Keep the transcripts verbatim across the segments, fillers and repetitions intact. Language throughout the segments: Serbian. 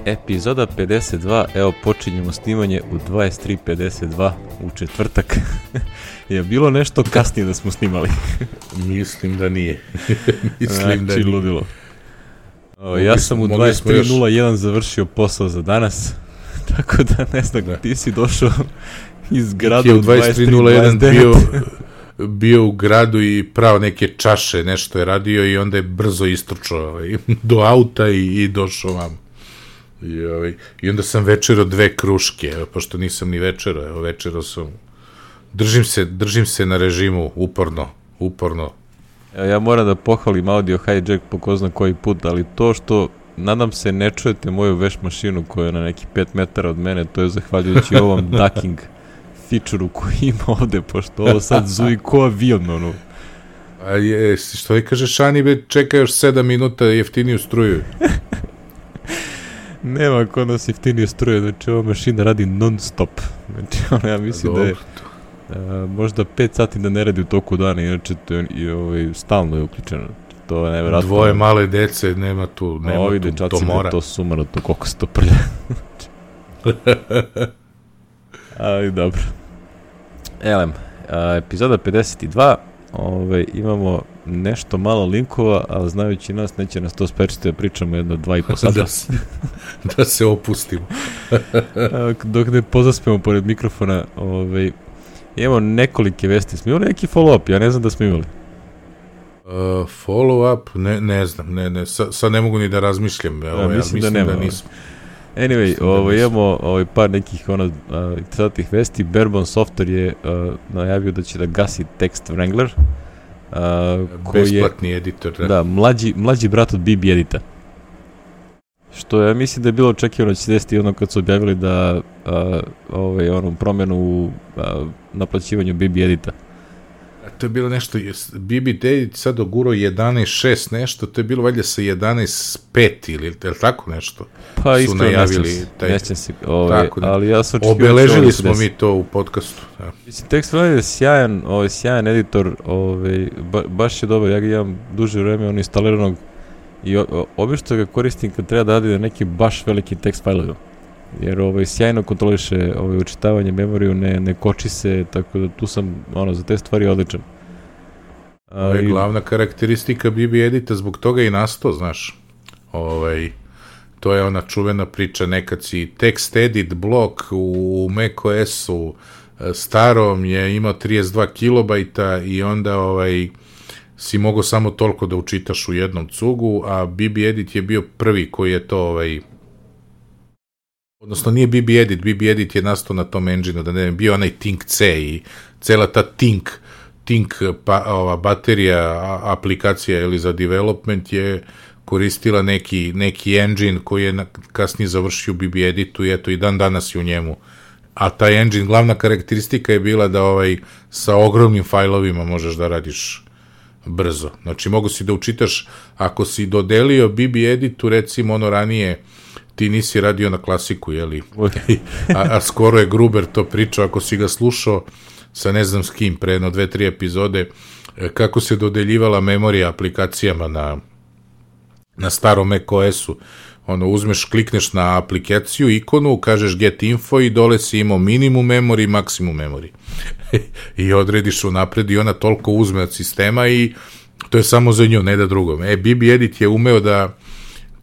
Epizoda pedeset dva, evo počinjemo snimanje u dvadeset tri pedeset dva u četvrtak. Je bilo nešto kasnije da smo snimali? Mislim da nije. Mislim znači, da nije. ludilo. O, ja sam u dvadeset tri nula jedan završio posao za danas, tako da ne znam, da. Ti si došao iz grada u dvadeset tri nula jedan bio, bio u gradu i pravo neke čaše, nešto je radio i onda je brzo istrčao ovaj, do auta i, i došao vam. I, ovaj, I onda sam večerao dve kruške, evo, pošto nisam ni večerao, evo večerao sam, držim se, držim se na režimu, uporno, uporno. Ja moram da pohvalim Audio Hijack po ko zna koji put, ali to što, nadam se, ne čujete moju veš mašinu koja je na neki pet metara od mene, to je zahvaljujući ovom ducking feature-u koji ima ovde, pošto ovo sad zuji ko avion, ono. A je, što je kaže Šani, be, čeka još sedam minuta jeftiniju struju. Nema kod nas jeftinije struje, znači ova mašina radi non stop. Znači ono, ja mislim da je a, možda pet sati da ne radi u toku dana, inače to je i, ovaj, stalno je uključeno. To je nevjerojatno. Dvoje male dece, nema tu, nema ovi tu, dečaci, to mora. To sumano, to koliko se to prlja. Ali dobro. Elem, a, epizoda pedeset dva, ovaj, imamo nešto malo linkova, ali znajući nas, neće nas to sprečiti da pričamo jedno dva i po sata. da, se, da se opustimo. Dok ne pozaspemo pored mikrofona, ovaj, imamo nekolike vesti. Smo imali neki follow-up? Ja ne znam da smo imali. Uh, follow-up? Ne, ne znam. Ne, ne. Sa, sad ne mogu ni da razmišljam. Ja, ovaj, mislim, mislim da nema. Da nisam. Anyway, mislim ovo, da imamo ovaj, par nekih ono, uh, interesantnih vesti. Barebone Software je uh, najavio da će da gasi Text Wrangler. Uh, Besplatni je, editor, da. Da, mlađi, mlađi brat od B B Edita. Što ja mislim da je bilo očekivano da će se desiti ono kad su objavili da uh, ovaj, ono, promjenu u uh, naplaćivanju B B Edita. A to je bilo nešto, B B Edit sad ogurao jedanaest šest nešto, to je bilo valjda sa jedanaest pet ili je tako nešto? Pa iskreno nećem se, ovaj, ali ja sam očekivao... Obeležili smo desi. mi to u podcastu. Ja. Mislim, Text Wrangler je sjajan, ovaj, sjajan editor, ovaj, ba, baš je dobar, ja ga imam duže vreme on instaliranog i obično ga koristim kad treba da radi na neki baš veliki tekst fajlovima. Jer ovaj, sjajno kontroliše ovaj, učitavanje memoriju, ne, ne koči se, tako da tu sam ono, za te stvari odličan. Ovo je glavna karakteristika B B Edita, zbog toga i nastao, znaš. Ovaj, to je ona čuvena priča, nekad si text edit blok u macOS-u starom je imao trideset dva kilobajta i onda ovaj, si mogao samo toliko da učitaš u jednom cugu, a B B Edit je bio prvi koji je to ovaj, odnosno nije B B Edit, B B Edit je nastao na tom engine-u, da ne bio onaj Tink C i cela ta Tink, Tink pa, ova, baterija a, aplikacija ili za development je koristila neki, neki engine koji je na, kasnije završio u B B Editu i eto i dan danas je u njemu. A taj engine, glavna karakteristika je bila da ovaj, sa ogromnim fajlovima možeš da radiš brzo. Znači mogu si da učitaš, ako si dodelio B B Editu, recimo ono ranije, ti nisi radio na klasiku, jeli? a, a skoro je Gruber to pričao, ako si ga slušao sa ne znam s kim, pre jedno dve, tri epizode, kako se dodeljivala memorija aplikacijama na, na starom macOS-u. Ono, uzmeš, klikneš na aplikaciju, ikonu, kažeš get info i dole si imao minimum memory, maksimum memory. I odrediš unapred i ona toliko uzme od sistema i to je samo za nju, ne da drugom. E, B B Edit je umeo da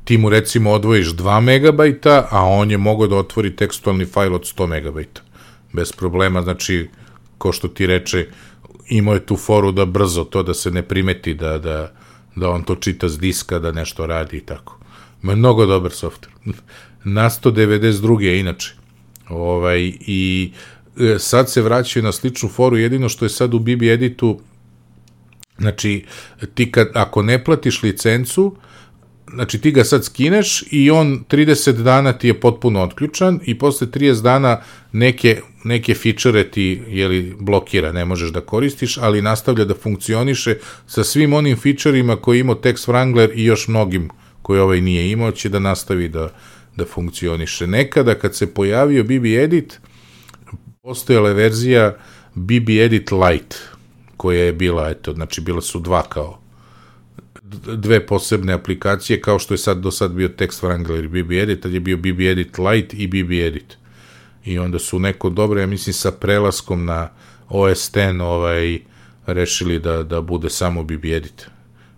ti mu recimo odvojiš dva megabajta, a on je mogao da otvori tekstualni fajl od sto megabajta. Bez problema, znači, ko što ti reče, imao je tu foru da brzo to da se ne primeti, da, da, da on to čita s diska, da nešto radi i tako. Mnogo dobar software. Nasto devedeset druge inače. Ovaj, i sad se vraćaju na sličnu foru, jedino što je sad u B B Editu, znači, ti kad, ako ne platiš licencu, znači ti ga sad skineš i on trideset dana ti je potpuno otključan i posle trideset dana neke, neke fičere ti jeli, blokira, ne možeš da koristiš, ali nastavlja da funkcioniše sa svim onim fičerima koje imao Text Wrangler i još mnogim koji ovaj nije imao, će da nastavi da, da funkcioniše. Nekada kad se pojavio B B Edit, postojala je verzija B B Edit Lite, koja je bila, eto, znači bila su dva kao dve posebne aplikacije, kao što je sad do sad bio Text Wrangler i B B Edit, tad je bio B B Edit Lite i B B Edit. I onda su neko dobro, ja mislim, sa prelaskom na O S deset ovaj, rešili da, da bude samo B B Edit.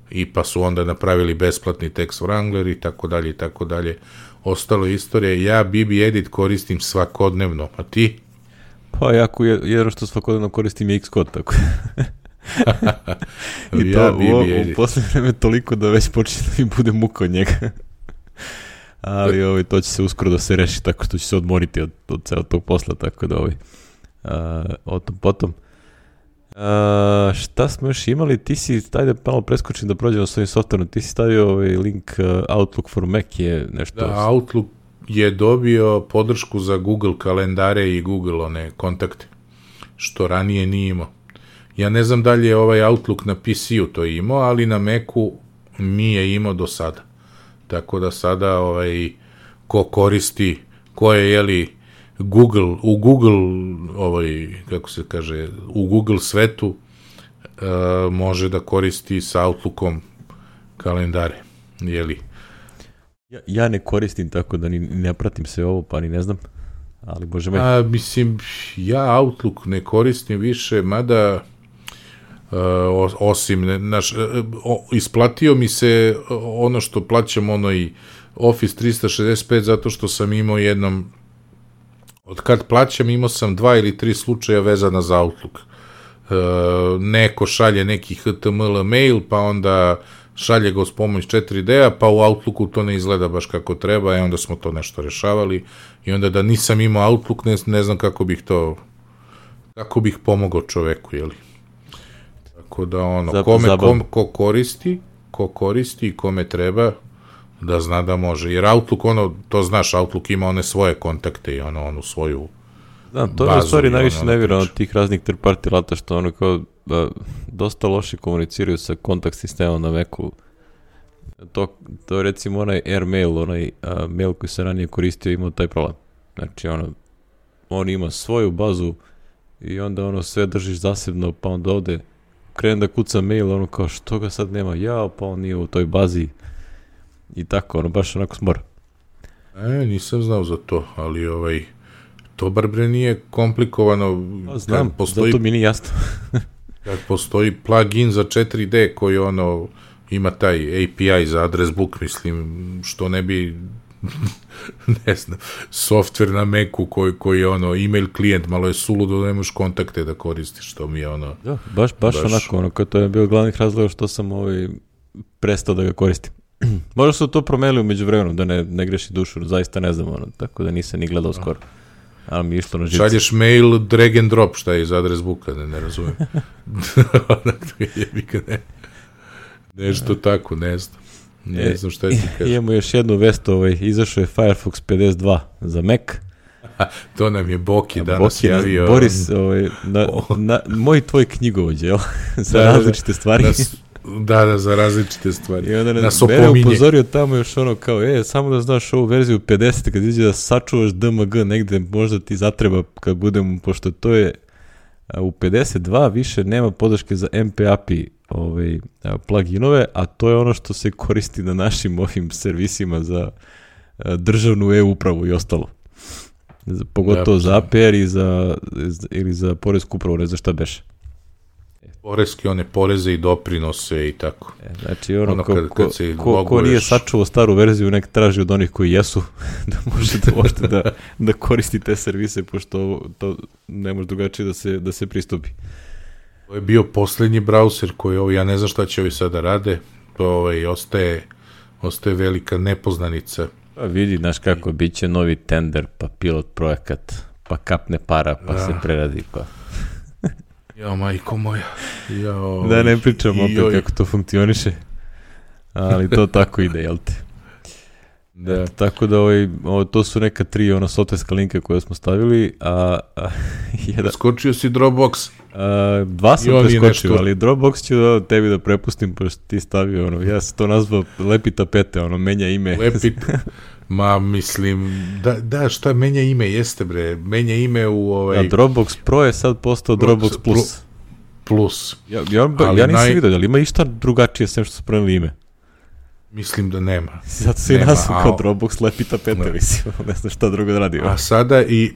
I pa su onda napravili besplatni Text Wrangler i tako dalje i tako dalje. Ostalo je istorija. Ja B B Edit koristim svakodnevno, a ti? Pa ja jedno što svakodnevno koristim je Xcode, tako. I ja to u, u posljednje vreme toliko da već počne da mi bude muka od njega. Ali ovaj, to će se uskoro da se reši tako što će se odmoriti od, od celog tog posla, tako da ovaj, uh, o tom potom. Uh, šta smo još imali? Ti si, ajde malo preskočim da prođemo s ovim softverom, ti si stavio ovaj link uh, Outlook for Mac je nešto... Da, Outlook je dobio podršku za Google kalendare i Google one kontakte, što ranije nije imao. Ja ne znam da li je ovaj Outlook na P C-u to imao, ali na Macu nije imao do sada. Tako da sada ovaj, ko koristi, ko je, jeli, Google, u Google, ovaj, kako se kaže, u Google svetu uh, može da koristi sa Outlookom kalendare, jeli. Ja, ja ne koristim, tako da ni ne pratim sve ovo, pa ni ne znam, ali bože me. A, mislim, ja Outlook ne koristim više, mada uh, osim, naš, o, isplatio mi se ono što plaćam, ono i Office trista šezdeset pet, zato što sam imao jednom, od kad plaćam, imao sam dva ili tri slučaja vezana za Outlook. Uh, neko šalje neki H T M L mail, pa onda šalje ga uz pomoć četiri D-a, pa u Outlooku to ne izgleda baš kako treba, i onda smo to nešto rešavali, i onda da nisam imao Outlook, ne, ne znam kako bih to, kako bih pomogao čoveku, jeli. Tako da ono, Zap, kome, kom, ko koristi, ko koristi i kome treba, da zna da može, jer Outlook, ono, to znaš, Outlook ima one svoje kontakte i ono, onu svoju Znam, to je u stvari najviše nevira od tih raznih third party lata, što ono kao da, dosta loše komuniciraju sa kontakt sistemom na Macu. To, to je recimo onaj Airmail, onaj a, mail koji se ranije koristio, imao taj problem. Znači ono, on ima svoju bazu i onda ono sve držiš zasebno, pa onda ovde krenem da kucam mail, ono kao što ga sad nema, jao, pa on nije u toj bazi i tako, ono baš onako smora. E, nisam znao za to, ali ovaj, to bar bre nije komplikovano. A, znam, postoji, zato mi nije jasno. kad postoji plugin za četiri D koji ono ima taj A P I za address book, mislim, što ne bi ne znam, softver na Macu koji, koji je ono email klijent, malo je suludo da nemaš kontakte da koristiš, što mi je ono... Da, baš, baš, baš onako, ono, kao to je bio glavnih razloga što sam ovaj prestao da ga koristim. Možda su to promenili umeđu vremenu, da ne, ne greši dušu, zaista ne znam, ono, tako da nisam ni gledao skoro. Ali mi je išlo na živce. Šalješ mail, drag and drop, šta je iz adres booka, ne, ne razumijem. ne. Nešto tako, ne znam. Ne e, znam šta ti kažem. Imamo još jednu vestu, ovaj, izašao je Firefox pedeset dva za Mac. To nam je Boki danas Boki, javio. Boris, ovaj, na, na, moj tvoj knjigovođe, jel? za da, različite stvari. Nas, da, da, za različite stvari. I onda nas mene upozorio tamo još ono kao, e, samo da znaš ovu verziju pedeset, kad iđe da sačuvaš D M G negde, možda ti zatreba kad budemo, pošto to je u pedeset dva više nema podrške za M P A P I ovaj, pluginove, a to je ono što se koristi na našim ovim servisima za državnu e-upravu i ostalo. Pogotovo ja, za A P R i za, ili za poresku upravu, ne znam šta beše. Poreske, one poreze i doprinose i tako. E, znači, ono, ono ko, kad, kad se ko, loguješ... ko nije sačuvao staru verziju, nek traži od onih koji jesu, da možete možete da, da koristi te servise, pošto to ne može drugačije da se, da se pristupi. To je bio poslednji browser koji, ovo, ja ne znam šta će ovi sada rade, to ovaj, ostaje, ostaje velika nepoznanica. Pa vidi, znaš kako, bit će novi tender, pa pilot projekat, pa kapne para, pa da se preradi, pa... Ja, majko moja. Ja, da ne pričam opet joj. Kako to funkcioniše, ali to tako ide, jel te? Da. Eto, tako da ovaj, ovo, to su neka tri ona softverska linka koje smo stavili, a, a jedan... Skočio si Dropbox. A, dva sam preskočio, ali Dropbox ću da tebi da prepustim, pošto ti stavio, ono, ja sam to nazvao lepi tapete, ono, menja ime. Lepi, ma mislim, da, da, šta menja ime, jeste bre, menja ime u ovaj... A Dropbox Pro je sad postao Dropbox, Dropbox Plus. Plus. Ja, ja, ja nisam naj... vidio, ali ima išta drugačije sem što su promenili ime? Mislim da nema. Zato se i nazvam kao Dropbox lepi tapete, mislim, ne znam šta drugo da radi. A sada i,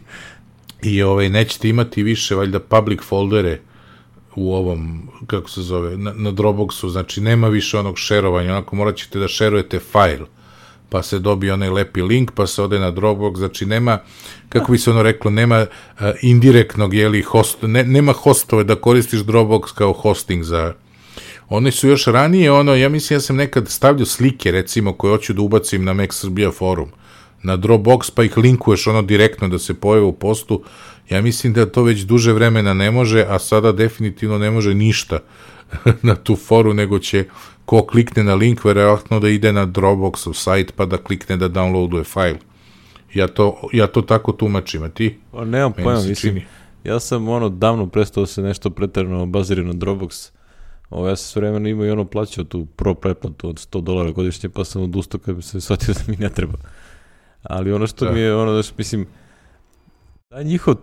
i ovaj, nećete imati više, valjda, public foldere u ovom, kako se zove, na, na Dropboxu, znači nema više onog šerovanja, onako morat ćete da šerujete fajl, pa se dobije onaj lepi link, pa se ode na Dropbox, znači nema, kako bi se ono reklo, nema uh, indirektnog, jeli, host, ne, nema hostove da koristiš Dropbox kao hosting za... Oni su još ranije, ono, ja mislim, ja sam nekad stavljao slike, recimo, koje hoću da ubacim na Mac Srbija forum, na Dropbox, pa ih linkuješ ono direktno da se pojave u postu. Ja mislim da to već duže vremena ne može, a sada definitivno ne može ništa na tu foru, nego će ko klikne na link, verovatno da ide na Dropboxov sajt, pa da klikne da downloaduje fajl. Ja to, ja to tako tumačim, a ti? O, nemam pojma, mislim, ja sam ono davno prestao se nešto pretjerano bazirao na Dropbox. O, ja sam sve vremena imao i ono plaćao tu pro pretplatu od sto dolara godišnje, pa sam odustao kad bi se shvatio da mi ne treba. Ali ono što da. mi je, ono, da što, mislim, taj njihov,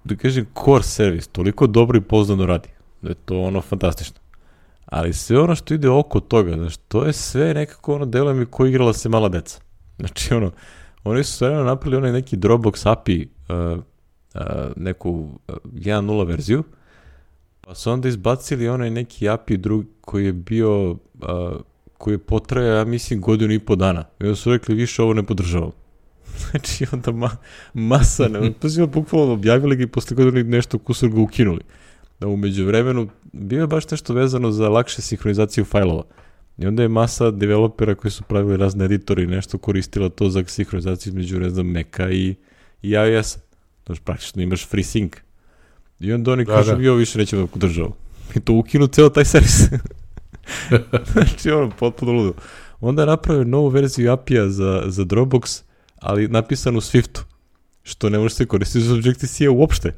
da kažem, core servis toliko dobro i poznano radi, da je to ono fantastično. Ali sve ono što ide oko toga, znači, to je sve nekako ono deluje mi ko igrala se mala deca. Znači, ono, oni su sve vremena napravili onaj neki Dropbox A P I, uh, uh, neku uh, jedan nula verziju, pa su onda izbacili onaj neki A P I drug koji je bio, uh, koji je potrajao, ja mislim, godinu i po dana. I onda su rekli, više ovo ne podržavam. Znači, onda ma, masa, ne, pa su bukvalno objavili ga i posle godinu nešto kusur ga ukinuli. Da umeđu vremenu bio je baš nešto vezano za lakše sinhronizaciju fajlova. I onda je masa developera koji su pravili razne editori i nešto koristila to za sinhronizaciju između, ne znam, Maca i, i iOS-a. Znači, praktično imaš free sync. I onda oni kažu, mi ovo više nećemo da podržao. I to ukinu ceo taj servis. Znači, ono, potpuno ludo. Onda je napravio novu verziju A P I-a za, za Dropbox, ali napisano u Swiftu, što ne može se koristiti za Objective-C uopšte.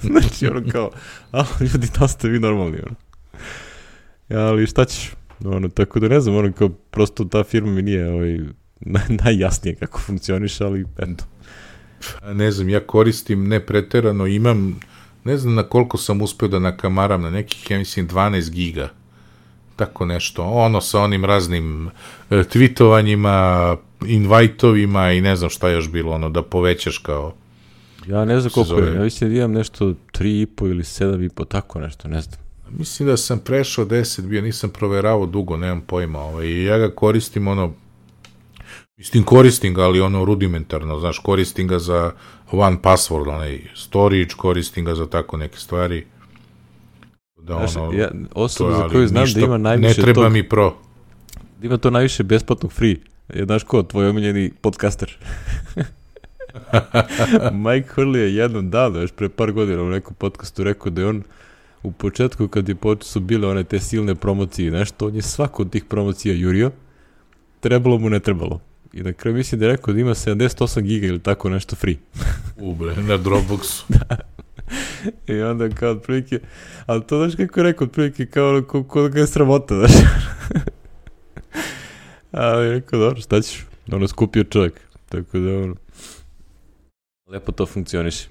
Znači, ono kao, a, ljudi, da ste vi normalni, ono. Ja, ali šta ćeš? Ono, tako da ne znam, ono, kao, prosto ta firma mi nije ovaj, naj, najjasnije kako funkcioniš, ali eto. Ne znam, ja koristim ne preterano, imam, ne znam na koliko sam uspeo da nakamaram, na nekih, ja mislim, dvanaest giga. Tako nešto, ono sa onim raznim e, tweetovanjima, invajtovima i ne znam šta još bilo, ono, da povećaš kao... Ja ne znam koliko je, ja mislim da imam nešto tri i po ili sedam i po, tako nešto, ne znam. Mislim da sam prešao deset, bio, nisam proveravao dugo, nemam pojma, ovaj, i ja ga koristim, ono, mislim koristim ga, ali ono rudimentarno, znaš, koristim ga za one password, onaj storage, koristim ga za tako neke stvari. Da, ono, znaš, ja, osoba to, za koju znam ništa, da ima najviše ne treba tog, mi pro. Da ima to najviše besplatnog free. Je, znaš ko, tvoj omiljeni podcaster. Mike Hurley je jednom davno, još pre par godina u nekom podcastu rekao da je on u početku kad je počeo su bile one te silne promocije, nešto, on je svako od tih promocija jurio, trebalo mu ne trebalo. I na kraju mislim da je rekao da ima sedamdeset osam giga ili tako nešto free. Ubre, na Dropboxu. Da. I onda kao otprilike, ali to znaš kako je rekao, otprilike kao ko, ko ga je sramota, znaš. Ali rekao, dobro, šta ćeš? Ono, skupio čovjek. Tako da, ono, lepo to funkcioniše.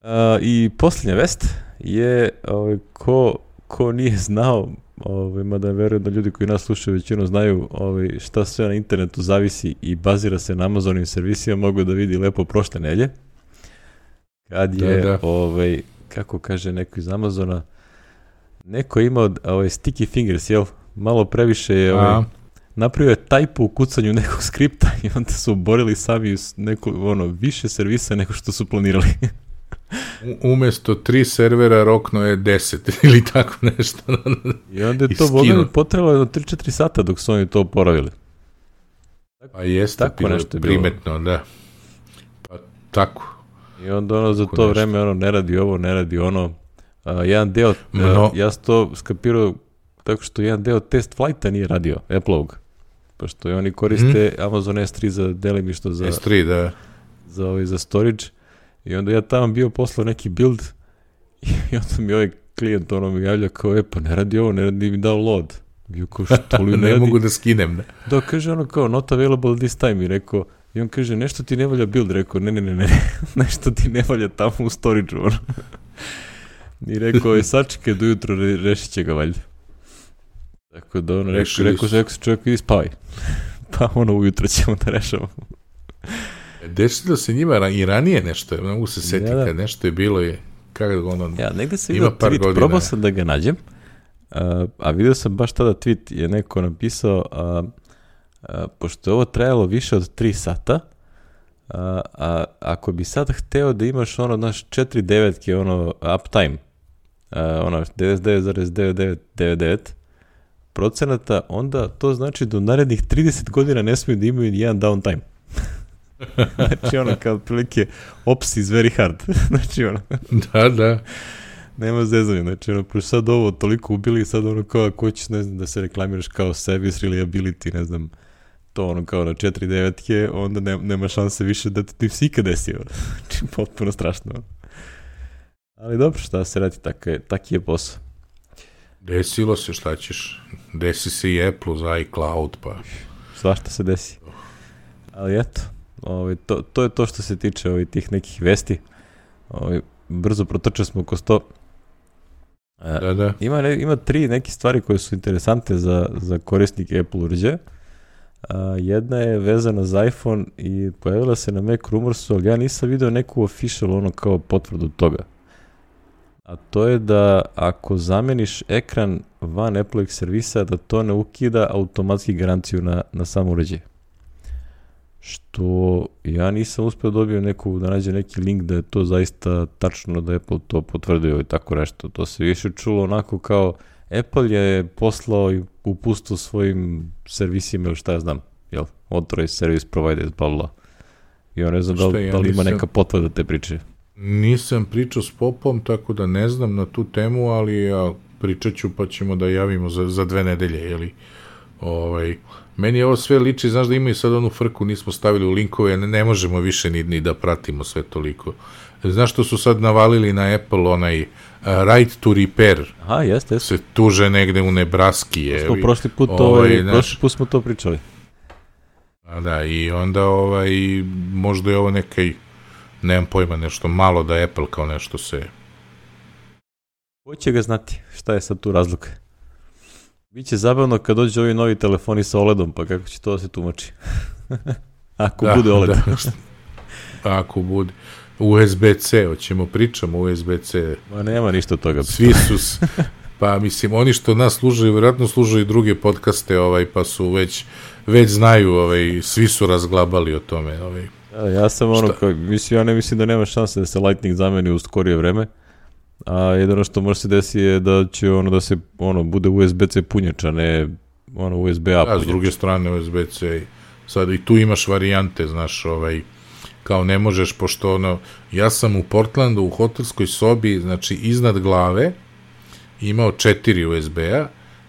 Uh, I posljednja vest je, ovaj, ko, ko nije znao, ovaj, mada verujem da ljudi koji nas slušaju većinu znaju ovaj, šta sve na internetu zavisi i bazira se na Amazonovim servisima, mogu da vidi lepo prošle nelje. Kad je, da, da. Ovaj, kako kaže neko iz Amazona, neko je imao ovaj, sticky fingers, jel? Malo previše je ovaj, napravio je tajpu u kucanju nekog skripta i onda su oborili sami neko, ono, više servisa nego što su planirali. U, umjesto tri servera rokno je deset ili tako nešto. I onda je to boga potrebalo jedno tri četiri sata dok su oni to oporavili. Pa jeste, tako nešto primetno, da. Pa tako. I onda ono za to nešto vreme ono ne radi ovo, ne radi ono. Uh, jedan deo, no. uh, ja sam to skapirao tako što jedan deo test flighta nije radio, Apple-ovog. Pošto oni koriste mm. Amazon S tri za delimično za, S tri, da. za, ovaj, za storage. I onda ja tamo bio poslao neki build i onda mi ovaj klijent ono mi javlja kao, e pa ne radi ovo, ne radi mi download. I kao, što li ne, ne radi? mogu da skinem, ne? Da, kaže ono kao, not available this time. I rekao, i on kaže, nešto ti ne valja build. Rekao, ne, ne, ne, ne, nešto ti ne valja tamo u storage-u. I rekao, je sačekaj do jutro, re, rešit će ga valjda. Tako da ono, rekao, rekao, rekao se čovjek idi spavaj. Pa ono ujutro ćemo da rešamo. Desilo se njima i ranije nešto, ne mogu se setiti ja, kad nešto je bilo je, kako ono, ja, negde sam vidio tweet, godina. Probao sam da ga nađem, a, a vidio sam baš tada tweet, je neko napisao, a, a, pošto je ovo trajalo više od tri sata, a, a ako bi sad hteo da imaš ono, znaš, četiri devetke, ono, uptime, a, ono, devedeset devet zarez devet devet devet devet procenata, onda to znači da u narednih trideset godina ne smiju da imaju jedan downtime. Znači ono kao prilike ops is very hard. Znači ono da, da nema zezanja, znači ono pošto sad ovo toliko ubili, sad ono kao ako ćeš ne znam da se reklamiraš kao service reliability, ne znam to ono kao na četiri devetke, onda ne, nema šanse više da ti se ikad desi. Znači potpuno strašno. Ali dobro, šta se radi, tak je, taki je posao. Desilo se, šta ćeš, desi se i Apple za iCloud, pa svašta se desi. Ali eto, ovaj, to, to je to što se tiče ovaj, tih nekih vesti. Ovaj, brzo protrčali smo oko sto. E, da, da. Ima, ne, ima tri neke stvari koje su interesante za, za korisnike Apple uređaja. Jedna je vezana za iPhone i pojavila se na Mac Rumorsu, ali ja nisam video neku official ono kao potvrdu toga. A to je da ako zameniš ekran van Apple-ovih servisa, da to ne ukida automatski garanciju na, na sam uređaj. Što ja nisam uspio dobio neku, da nađe neki link da je to zaista tačno, da Apple to potvrdio i tako nešto. To se više čulo onako kao Apple je poslao i upustio svojim servisima ili šta ja znam, jel? Authorized service providers, bla bla. I on ne znam da, ja da li ima nisam, neka potvrda te priče. Nisam pričao s Popom, tako da ne znam na tu temu, ali ja pričat ću pa ćemo da javimo za, za dve nedelje, jeli? Ovaj, meni ovo sve liči, znaš da imaju sad onu frku, nismo stavili u linkove, ne, ne možemo više ni, ni da pratimo sve toliko. Znaš što su sad navalili na Apple, onaj uh, right to repair. Aha, jeste, jeste. Se tuže negde u Nebraski. Je, smo prošli put, to, ovaj, naš, prošli put smo to pričali. A da, i onda ovaj, možda je ovo nekaj, nemam pojma, nešto malo da Apple kao nešto se... Ko će ga znati, šta je sad tu razlika? Biće zabavno kad dođe ovi novi telefoni sa O L E D-om, pa kako će to da se tumači? Ako da, bude O L E D. Da. Ako bude. U S B C, hoćemo pričamo U S B C. Ma nema ništa od toga. Svi su, pa mislim, oni što nas služaju, vjerojatno služaju i druge podcaste, ovaj, pa su već, već znaju, ovaj, svi su razglabali o tome. Ovaj. Ja, ja sam ono, kao, mislim, ja ne mislim da nema šanse da se Lightning zameni u skorije vreme, a jedino što može se desiti je da će ono da se, ono, bude U S B C punjač, a ne ono U S B A punjač. A s druge strane U S B C, sad i tu imaš varijante, znaš, ovaj, kao ne možeš, pošto ono, ja sam u Portlandu u hotelskoj sobi, znači iznad glave imao četiri U S B-a,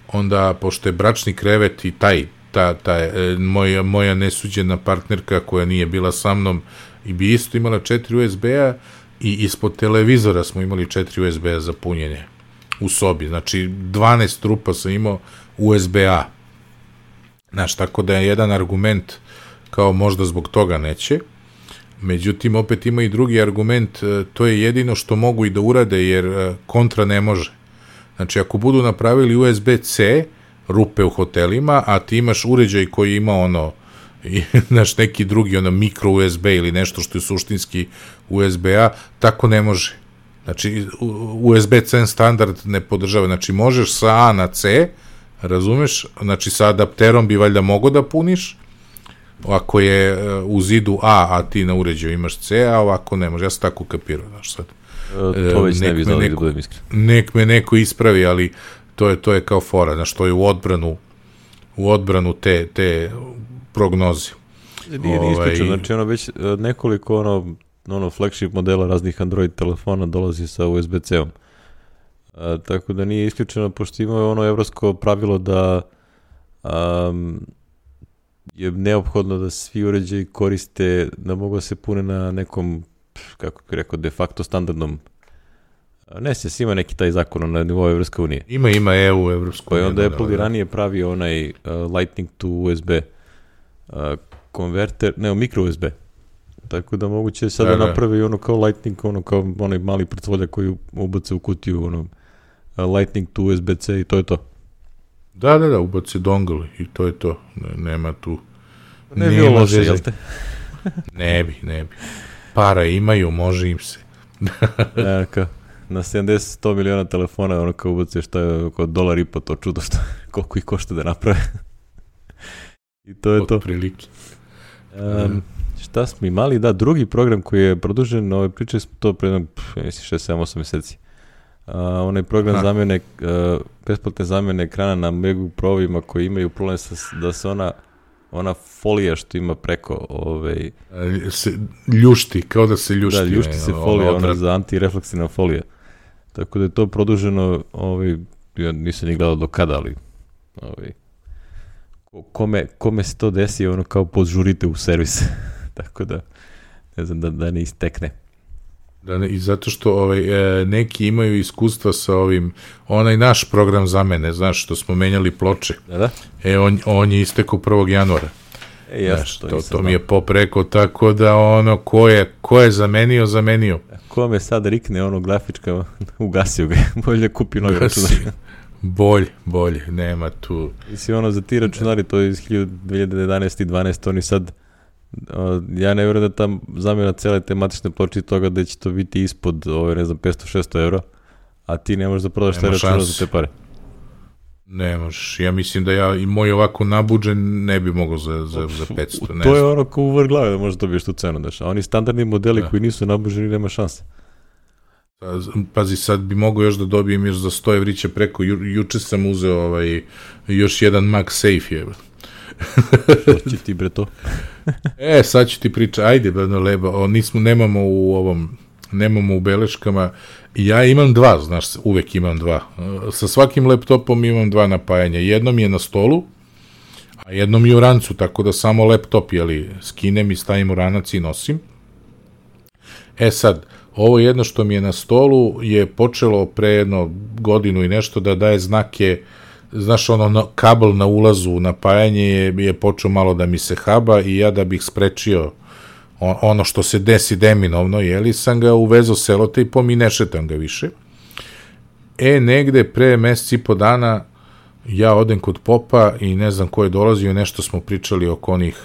onda pošto je bračni krevet i taj, ta, ta, e, moja, moja nesuđena partnerka koja nije bila sa mnom i bi isto imala četiri U S B-a i ispod televizora smo imali četiri U S B-a za punjenje u sobi, znači dvanaest rupa sam imao U S B-a. Znaš, tako da je jedan argument kao možda zbog toga neće. Međutim, opet ima i drugi argument, to je jedino što mogu i da urade, jer kontra ne može. Znači, ako budu napravili U S B C, rupe u hotelima, a ti imaš uređaj koji ima ono, znaš, neki drugi, ono, mikro U S B ili nešto što je suštinski U S B A, tako ne može. Znači, U S B C standard ne podržava. Znači, možeš sa A na C, razumeš, znači sa adapterom bi valjda mogo da puniš, ako je u zidu A, a ti na uređaju imaš C, a ovako ne može. Ja sam tako kapirao, znaš sad. E, to već nek ne bi znali da budem iskren. Nek me neko ispravi, ali to je, to je kao fora, znaš, to je u odbranu u odbranu te, te prognoze. Nije ni isključeno, znači ono već nekoliko ono, ono flagship modela raznih Android telefona dolazi sa U S B C-om. A, tako da nije isključeno, pošto ima ono evropsko pravilo da um, je neophodno da svi uređaji koriste, da mogu se pune na nekom, kako bih rekao, de facto standardnom. Ne se, ima neki taj zakon na nivou Evropske unije. Ima, ima E U, Evropsko unije. Pa onda Apple i ranije pravi onaj uh, Lightning to U S B uh, konverter, ne, micro U S B. Tako da moguće sada da, da. napravi ono kao Lightning, ono kao onaj mali pretvolja koji ubace u kutiju, ono, uh, Lightning to U S B C i to je to. Da, da, da, ubaci dongle i to je to. Ne, nema tu... Ne bi bilo loše, jel te? Ne bi, ne bi. Para imaju, može im se. Ja, kao, na sedamdeset do sto miliona telefona, ono kao ubaci što je oko dolar i po to čudo što, koliko ih košta da naprave. I to je to. Prilike. Um, šta smo imali? Da, drugi program koji je produžen, ovaj, pričali smo to pre šest sedam osam meseci. Uh, onaj program ha. zamene, uh, besplatne zamene ekrana na MacBook Pro-ovima koji imaju problem sa, da se ona ona folija što ima preko ovaj se ljušti, kao da se ljušti. Da, ljušti se ono, folija, ono ona za antirefleksivna folija. Tako da je to produženo, ovaj, ja nisam ni gledao do kada, ali ovaj, kome, kome se to desi, ono kao podžurite u servis. Tako da, ne znam, da, da ne istekne. Da ne, i zato što ovaj, e, neki imaju iskustva sa ovim, onaj naš program zamene, znaš, što smo menjali ploče. Da, da. E, on, on je istekao prvog januara. E, jasno, znaš, to, to, to mi je popreko, tako da ono, ko je, ko je zamenio, zamenio. Ko me sad rikne, ono, grafička, ugasio ga, bolje kupi novi računar. Bolje, bolje, nema tu. Mislim, ono, za ti računari, to je iz dve hiljade jedanaeste i dvanaeste oni sad, o, ja ne vjerujem da tam zamjena cele tematične ploče toga da će to biti ispod, ove, ne znam, petsto šesto euro, a ti ne možeš da prodaš taj računar za te pare. Ne možeš, ja mislim da ja i moj ovako nabuđen ne bi mogao za, za, za petsto. Ne to znam. Je ono ko u vrh glave da možeš dobiješ tu cenu, daš. A oni standardni modeli da. Koji nisu nabuđeni nema šanse. Pazi, sad bi mogao još da dobijem još za sto evrića preko, Ju, juče sam uzeo ovaj, još jedan MagSafe je. Što će ti bre to? E, sad ću ti pričati, ajde, bedno leba, o, nismo, nemamo u ovom, nemamo u beleškama, ja imam dva, znaš, uvek imam dva. Sa svakim laptopom imam dva napajanja, jedno mi je na stolu, a jedno mi je u rancu, tako da samo laptop, jeli, skinem i stavim u ranac i nosim. E sad, ovo jedno što mi je na stolu je počelo pre jedno godinu i nešto da daje znake, znaš, ono, na, kabel na ulazu, napajanje je, je počeo malo da mi se haba i ja da bih sprečio on, ono što se desi deminovno, jeli, sam ga uvezao selotejpom i ne šetam ga više. E, negde pre mesec i po dana ja odem kod popa i ne znam ko je dolazio, nešto smo pričali oko onih,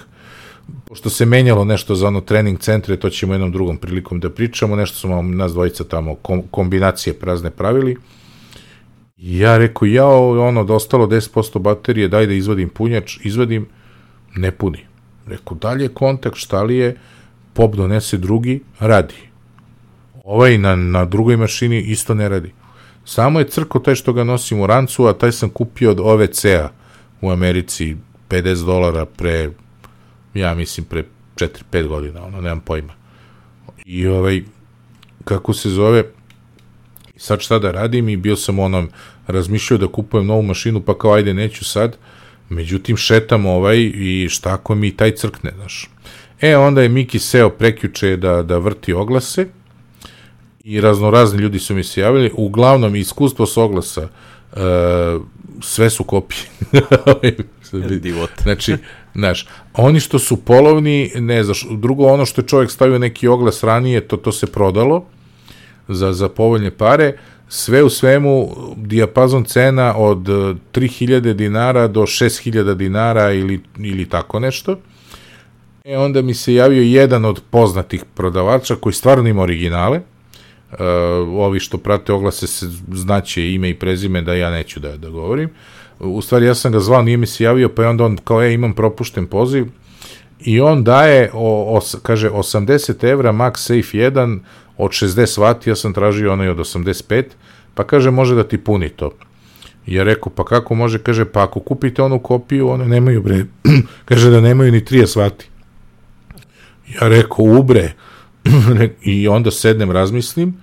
pošto se menjalo nešto za ono trening centre, to ćemo jednom drugom prilikom da pričamo, nešto smo nas dvojica tamo kom, kombinacije prazne pravili. I ja rekao, ja, ono, da ostalo deset posto baterije, daj da izvadim punjač, izvadim, ne puni. Rekao, dalje kontakt, šta li je, pop donese drugi, radi. Ovaj na, na drugoj mašini isto ne radi. Samo je crko taj što ga nosim u rancu, a taj sam kupio od O V C-a u Americi, pedeset dolara pre, ja mislim, pre četiri pet godina, ono, nemam pojma. I ovaj, kako se zove, sad šta da radim i bio sam onom, razmišljao da kupujem novu mašinu, pa kao ajde neću sad, međutim šetam ovaj i šta ako mi taj crkne, znaš. E, onda je Miki seo prekjuče da, da vrti oglase i raznorazni ljudi su mi se javili, uglavnom iskustvo s oglasa, uh, sve su kopije. Znači, znaš, oni što su polovni, ne znaš, drugo ono što je čovjek stavio neki oglas ranije, to, to se prodalo za, za povoljne pare, sve u svemu dijapazon cena od tri hiljade dinara do šest hiljada dinara ili, ili tako nešto. E, onda mi se javio jedan od poznatih prodavača koji stvarno ima originale. Uh, ovi što prate oglase se znaće ime i prezime, da ja neću da, da govorim. U stvari ja sam ga zvao, nije mi se javio, pa je onda on kao, e, imam propušten poziv. I on daje, o, os, kaže, osamdeset evra MagSafe jedan od šezdeset vati, ja sam tražio onaj od osamdeset pet, pa kaže, može da ti puni to. I ja rekao, pa kako može? Kaže, pa ako kupite onu kopiju, one nemaju, bre, kaže da nemaju ni trideset vati. Ja rekao, ubre, i onda sednem, razmislim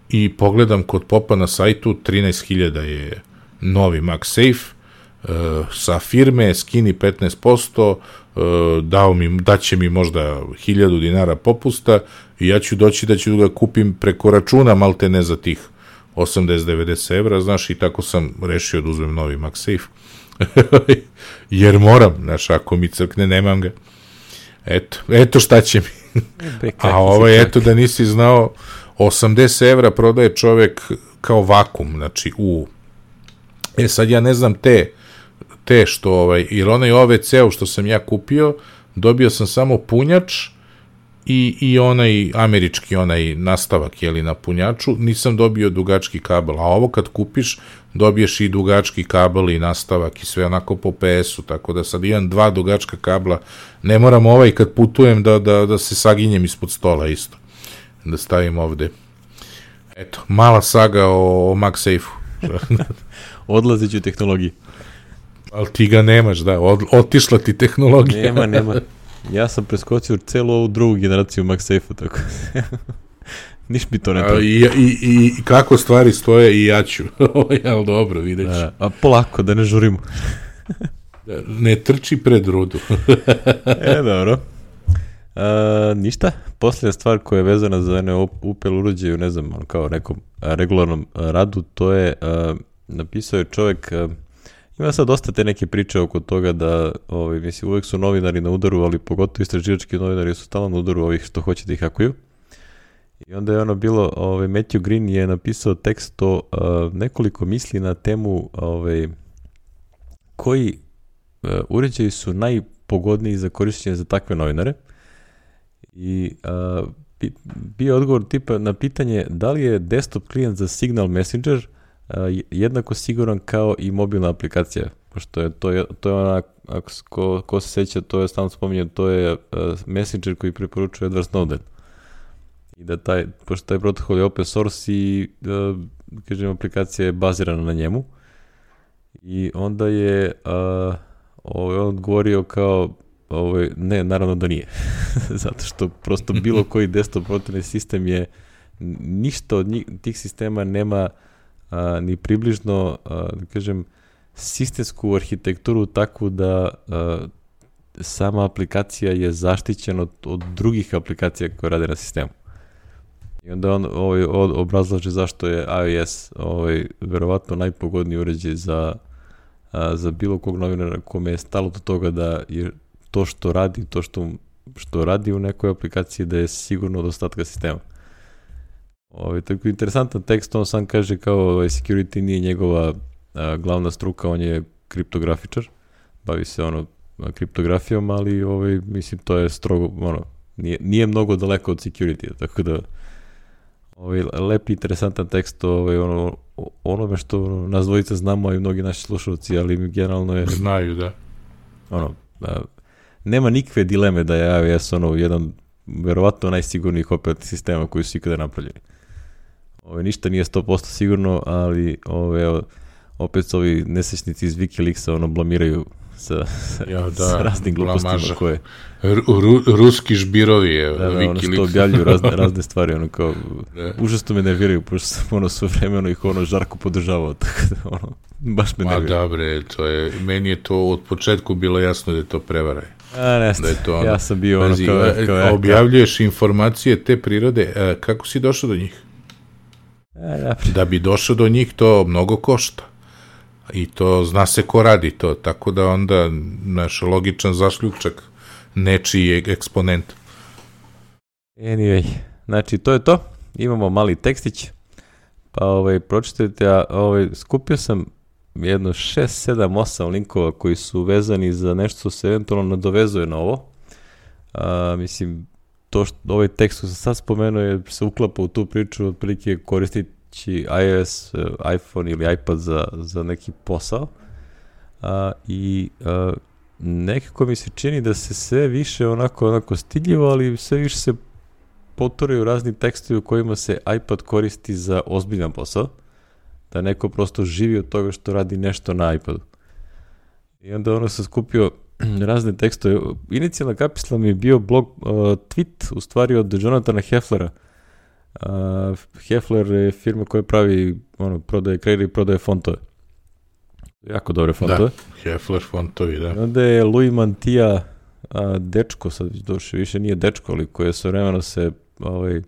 i pogledam kod popa na sajtu, trinaest hiljada je novi MagSafe, uh, sa firme, skini petnaest posto, uh, dao mi, daće mi možda hiljadu dinara popusta i ja ću doći da ću ga kupim preko računa, malte ne za tih osamdeset do devedeset evra, znaš, i tako sam rešio da uzmem novi MagSafe. Jer moram, znaš, ako mi crkne, nemam ga. Eto, eto šta će mi. A ovo je, eto, da nisi znao, osamdeset evra prodaje čovek kao vakum, znači u... E, sad ja ne znam te te što, ovaj, jer onaj O V C-u što sam ja kupio, dobio sam samo punjač i, i onaj američki, onaj nastavak, jeli, na punjaču, nisam dobio dugački kabel, a ovo kad kupiš, dobiješ i dugački kabel i nastavak i sve onako po P S-u, tako da sad imam dva dugačka kabla, ne moram ovaj kad putujem da, da, da se saginjem ispod stola isto, da stavim ovde. Eto, mala saga o, o MagSafe-u. Odlazić u tehnologiji. Ali ti ga nemaš, da, od, otišla ti tehnologija. Nema, nema. Ja sam preskočio celu ovu drugu generaciju MagSafe-u, tako. Niš mi to ne pravi. I, i, I kako stvari stoje i ja ću. Ali dobro, vidjet ću. A, a polako, da ne žurimo. Ne trči pred rudu. E, dobro. A, ništa. Posljedna stvar koja je vezana za ene upel uređaju, ne znam, kao nekom regularnom radu, to je, a, napisao je čovjek, a, ima sad dosta te neke priče oko toga da, ovaj, mislim, uvek su novinari na udaru, ali pogotovo istraživački novinari su stalno na udaru ovih što hoće da ih hakuju. I onda je ono bilo, ovaj, Matthew Green je napisao tekst o uh, nekoliko misli na temu ovaj, koji uh, uređaji su najpogodniji za korišćenje za takve novinare. I uh, bi, bio odgovor tipa na pitanje da li je desktop klijent za Signal Messenger uh, jednako siguran kao i mobilna aplikacija. Pošto je to, je, to je ona, ako ko, ko se seća, to je stalno spominje, to je uh, Messenger koji preporučuje Edward Snowden. I da taj, pošto taj protokol je open source i uh, kažem, aplikacija je bazirana na njemu. I onda je uh, ovaj, on odgovorio kao ovaj, ne, naravno da nije. Zato što prosto bilo koji desktop operativni sistem je ništa od njih, tih sistema nema uh, ni približno, uh, da kažem, sistemsku arhitekturu takvu da uh, sama aplikacija je zaštićena od, od drugih aplikacija koje rade na sistemu. I onda on ovaj, obrazlaže zašto je iOS ovaj, verovatno najpogodniji uređaj za, a, za bilo kog novinara kome je stalo do toga da je to što radi, to što, što radi u nekoj aplikaciji da je sigurno od ostatka sistema. Ovaj, tako interesantan tekst, on sam kaže kao ovaj, security nije njegova a, glavna struka, on je kriptografičar, bavi se ono kriptografijom, ali ovaj, mislim to je strogo, ono, nije, nije mnogo daleko od security, tako da ovaj, lepi, interesantan tekst ovaj, ono, onome što nas dvojica znamo, a i mnogi naši slušalci, ali generalno je... Znaju, da. Ono, da, nema nikakve dileme da je iOS ono, jedan verovatno najsigurnijih operativnih sistema koji su ikada napravljeni. Ovaj, ništa nije sto posto sigurno, ali ovaj, opet su ovi nesečnici iz Wikileaksa ono, blamiraju sa, ja, da, sa raznim glupostima blamaža. Koje... Ru, ruski žbirovi je. Da, da, ono što objavljuju razne, razne stvari, ono kao, da. Užasno me nerviraju, pošto sam ono sve vremeno ih ono žarko podržavao, tako da ono, baš me nerviraju. Ma dobre, to je, meni je to od početku bilo jasno da je to prevara. A ne znam, da ono, ja sam bio ono kao, kao ja. Objavljuješ informacije te prirode, a, kako si došao do njih? A, ja. Da bi došao do njih to mnogo košta. I to zna se ko radi to, tako da onda naš logičan zašljučak nečiji je eksponent. Anyway, znači to je to. Imamo mali tekstić. Pa ovaj, pročitajte, a ovaj, skupio sam jedno šest, sedam, osam linkova koji su vezani za nešto se eventualno nadovezuje na ovo. A, mislim, to što ovaj tekst koji sam sad spomenuo je se uklapa u tu priču, otprilike koristiti iOS, iPhone ili iPad za, za neki posao a, i a, nekako mi se čini da se sve više onako, onako stidljivo, ali sve više se poturaju razni tekstovi u kojima se iPad koristi za ozbiljan posao, da neko prosto živi od toga što radi nešto na iPadu. I onda ono sam skupio razne tekstove. Inicijalna kapisla mi je bio blog uh, tweet, u stvari od Jonathana Hefflera. Uh, Heffler je firma koja pravi, ono, prodaje, kreira i prodaje fontove. Jako dobre fontove. Da, Heffler fontovi, da. Onda je Louis Mantilla, a, dečko, sad došao, više nije dečko, ali koje sa vremena se, ovaj,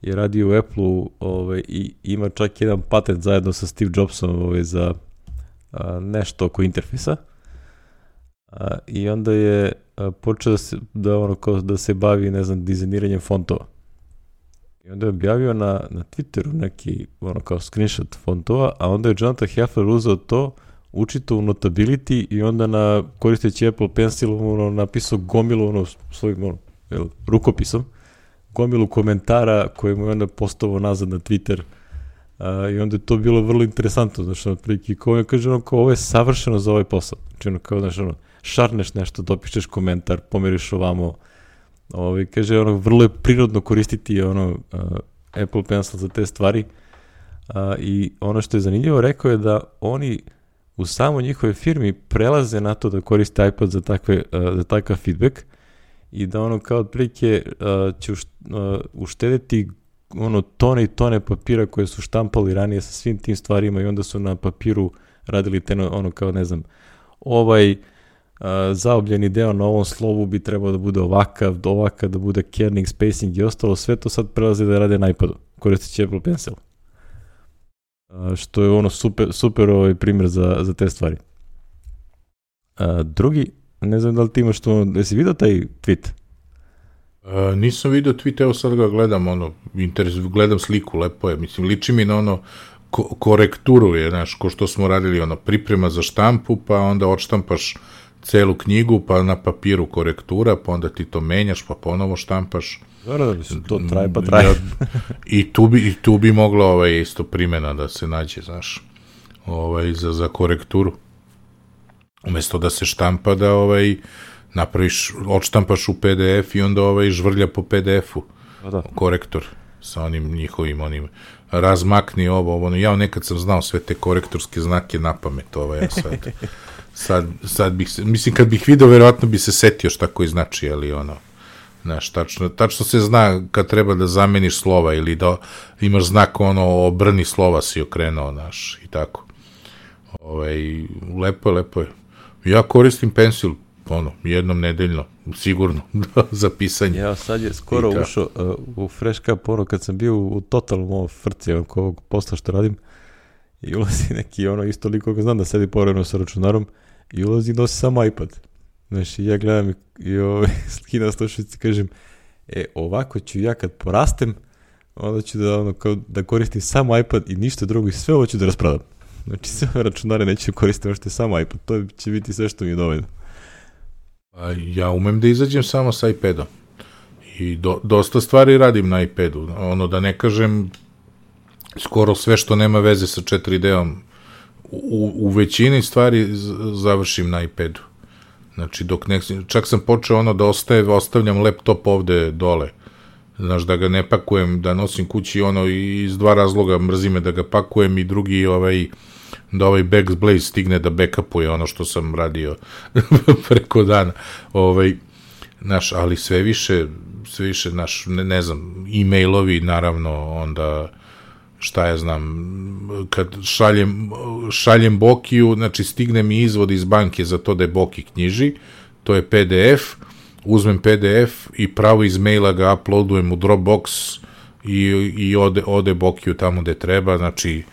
je radio u Apple-u, ovaj, i ima čak jedan patent zajedno sa Steve Jobsom, ovaj, za a, nešto oko interfejsa. A, I onda je a, počeo da se, da, ono, kao, da se bavi, ne znam, dizajniranjem fontova. I onda je objavio na, na Twitteru neki, ono, kao screenshot fontova, a onda je Jonathan Heffler uzeo to, učito u Notability i onda na, koristeći Apple Pencil ono, napisao gomilu ono, svojim ono, jel, rukopisom, gomilu komentara koje mu je onda postavio nazad na Twitter. Uh, i onda je to bilo vrlo interesantno, znači, otprilike, kao je kaže, ono, kao ovo je savršeno za ovaj posao, znači, ono, kao, znači, ono, šarneš nešto, dopišeš komentar, pomeriš ovamo, ovaj, kaže, ono, vrlo je prirodno koristiti, ono, uh, Apple Pencil za te stvari, uh, i ono što je zanimljivo, rekao je da oni u samo njihove firmi prelaze na to da koriste iPad za, takve, uh, za takav feedback i da ono, kao, otprilike, uh, će uš, uh, uštedeti ono tone i tone papira koje su štampali ranije sa svim tim stvarima i onda su na papiru radili te ono kao ne znam ovaj uh, zaobljeni deo na ovom slovu bi trebao da bude ovakav, ovakav da bude kerning, spacing i ostalo, sve to sad prelaze da rade na iPadu koristeći Apple Pencil, uh, što je ono super, super ovaj primjer za, za te stvari. Uh, drugi, ne znam da li ti imaš to, jesi vidio taj tweet? Uh, nisam vidio tweet, evo sad ga gledam, ono, interes, gledam sliku, lepo je, mislim, liči mi na ono, ko, korekturu je, znaš, ko što smo radili, ono, priprema za štampu, pa onda odštampaš celu knjigu, pa na papiru korektura, pa onda ti to menjaš, pa ponovo štampaš. Dobro da mislim, to traje pa traje. Ja, i, tu bi, I tu bi mogla ovaj, isto primjena da se nađe, znaš, ovaj, za, za korekturu. Umesto da se štampa, da ovaj, napraviš, odštampaš u P D F i onda ovaj žvrlja po P D F-u. Da. Korektor sa onim njihovim onim razmakni ovo, ovo. Ja nekad sam znao sve te korektorske znake na pamet, ovaj, ja sad, sad, sad bih se, mislim kad bih video, verovatno bi se setio šta koji znači, ali ono, znaš, tačno, tačno se zna kad treba da zameniš slova ili da imaš znak ono, obrni slova si okrenuo, znaš, i tako. Ovaj, lepo je, lepo je. Ja koristim Pencil, ono, jednom nedeljno, sigurno, za pisanje. Ja, sad je skoro ušao uh, u Fresh Cup, ono, kad sam bio u totalnom ovo frci, oko ovog posla što radim, i ulazi neki, ono, isto liko ga znam da sedi povremeno sa računarom, i ulazi i nosi samo iPad. Znaš, i ja gledam i, i ovaj, skidam slušalice i kažem, e, ovako ću ja kad porastem, onda ću da, ono, kao, da koristim samo iPad i ništa drugo i sve ovo ću da raspradam. Znači, sve ove računare neću koristiti, što je samo iPad, to će biti sve što mi je dovoljno. Ja umem da izađem samo sa iPadom i do, dosta stvari radim na iPadu, ono da ne kažem skoro sve što nema veze sa četiri D-om, u, u većini stvari završim na iPadu. Znači, dok ne, čak sam počeo ono da ostaje, ostavljam laptop ovde dole, znaš, da ga ne pakujem, da nosim kući ono iz dva razloga, mrzi me da ga pakujem i drugi ovaj, da ovaj Backblaze stigne da backupuje ono što sam radio preko dana. Ovaj, naš, ali sve više, sve više, naš, ne, ne znam, e-mailovi, naravno, onda, šta ja znam, kad šaljem, šaljem Bokiju, znači stigne mi izvod iz banke za to da je Boki knjiži, to je P D F, uzmem P D F i pravo iz maila ga uploadujem u Dropbox i, i ode, ode Bokiju tamo gde treba, znači,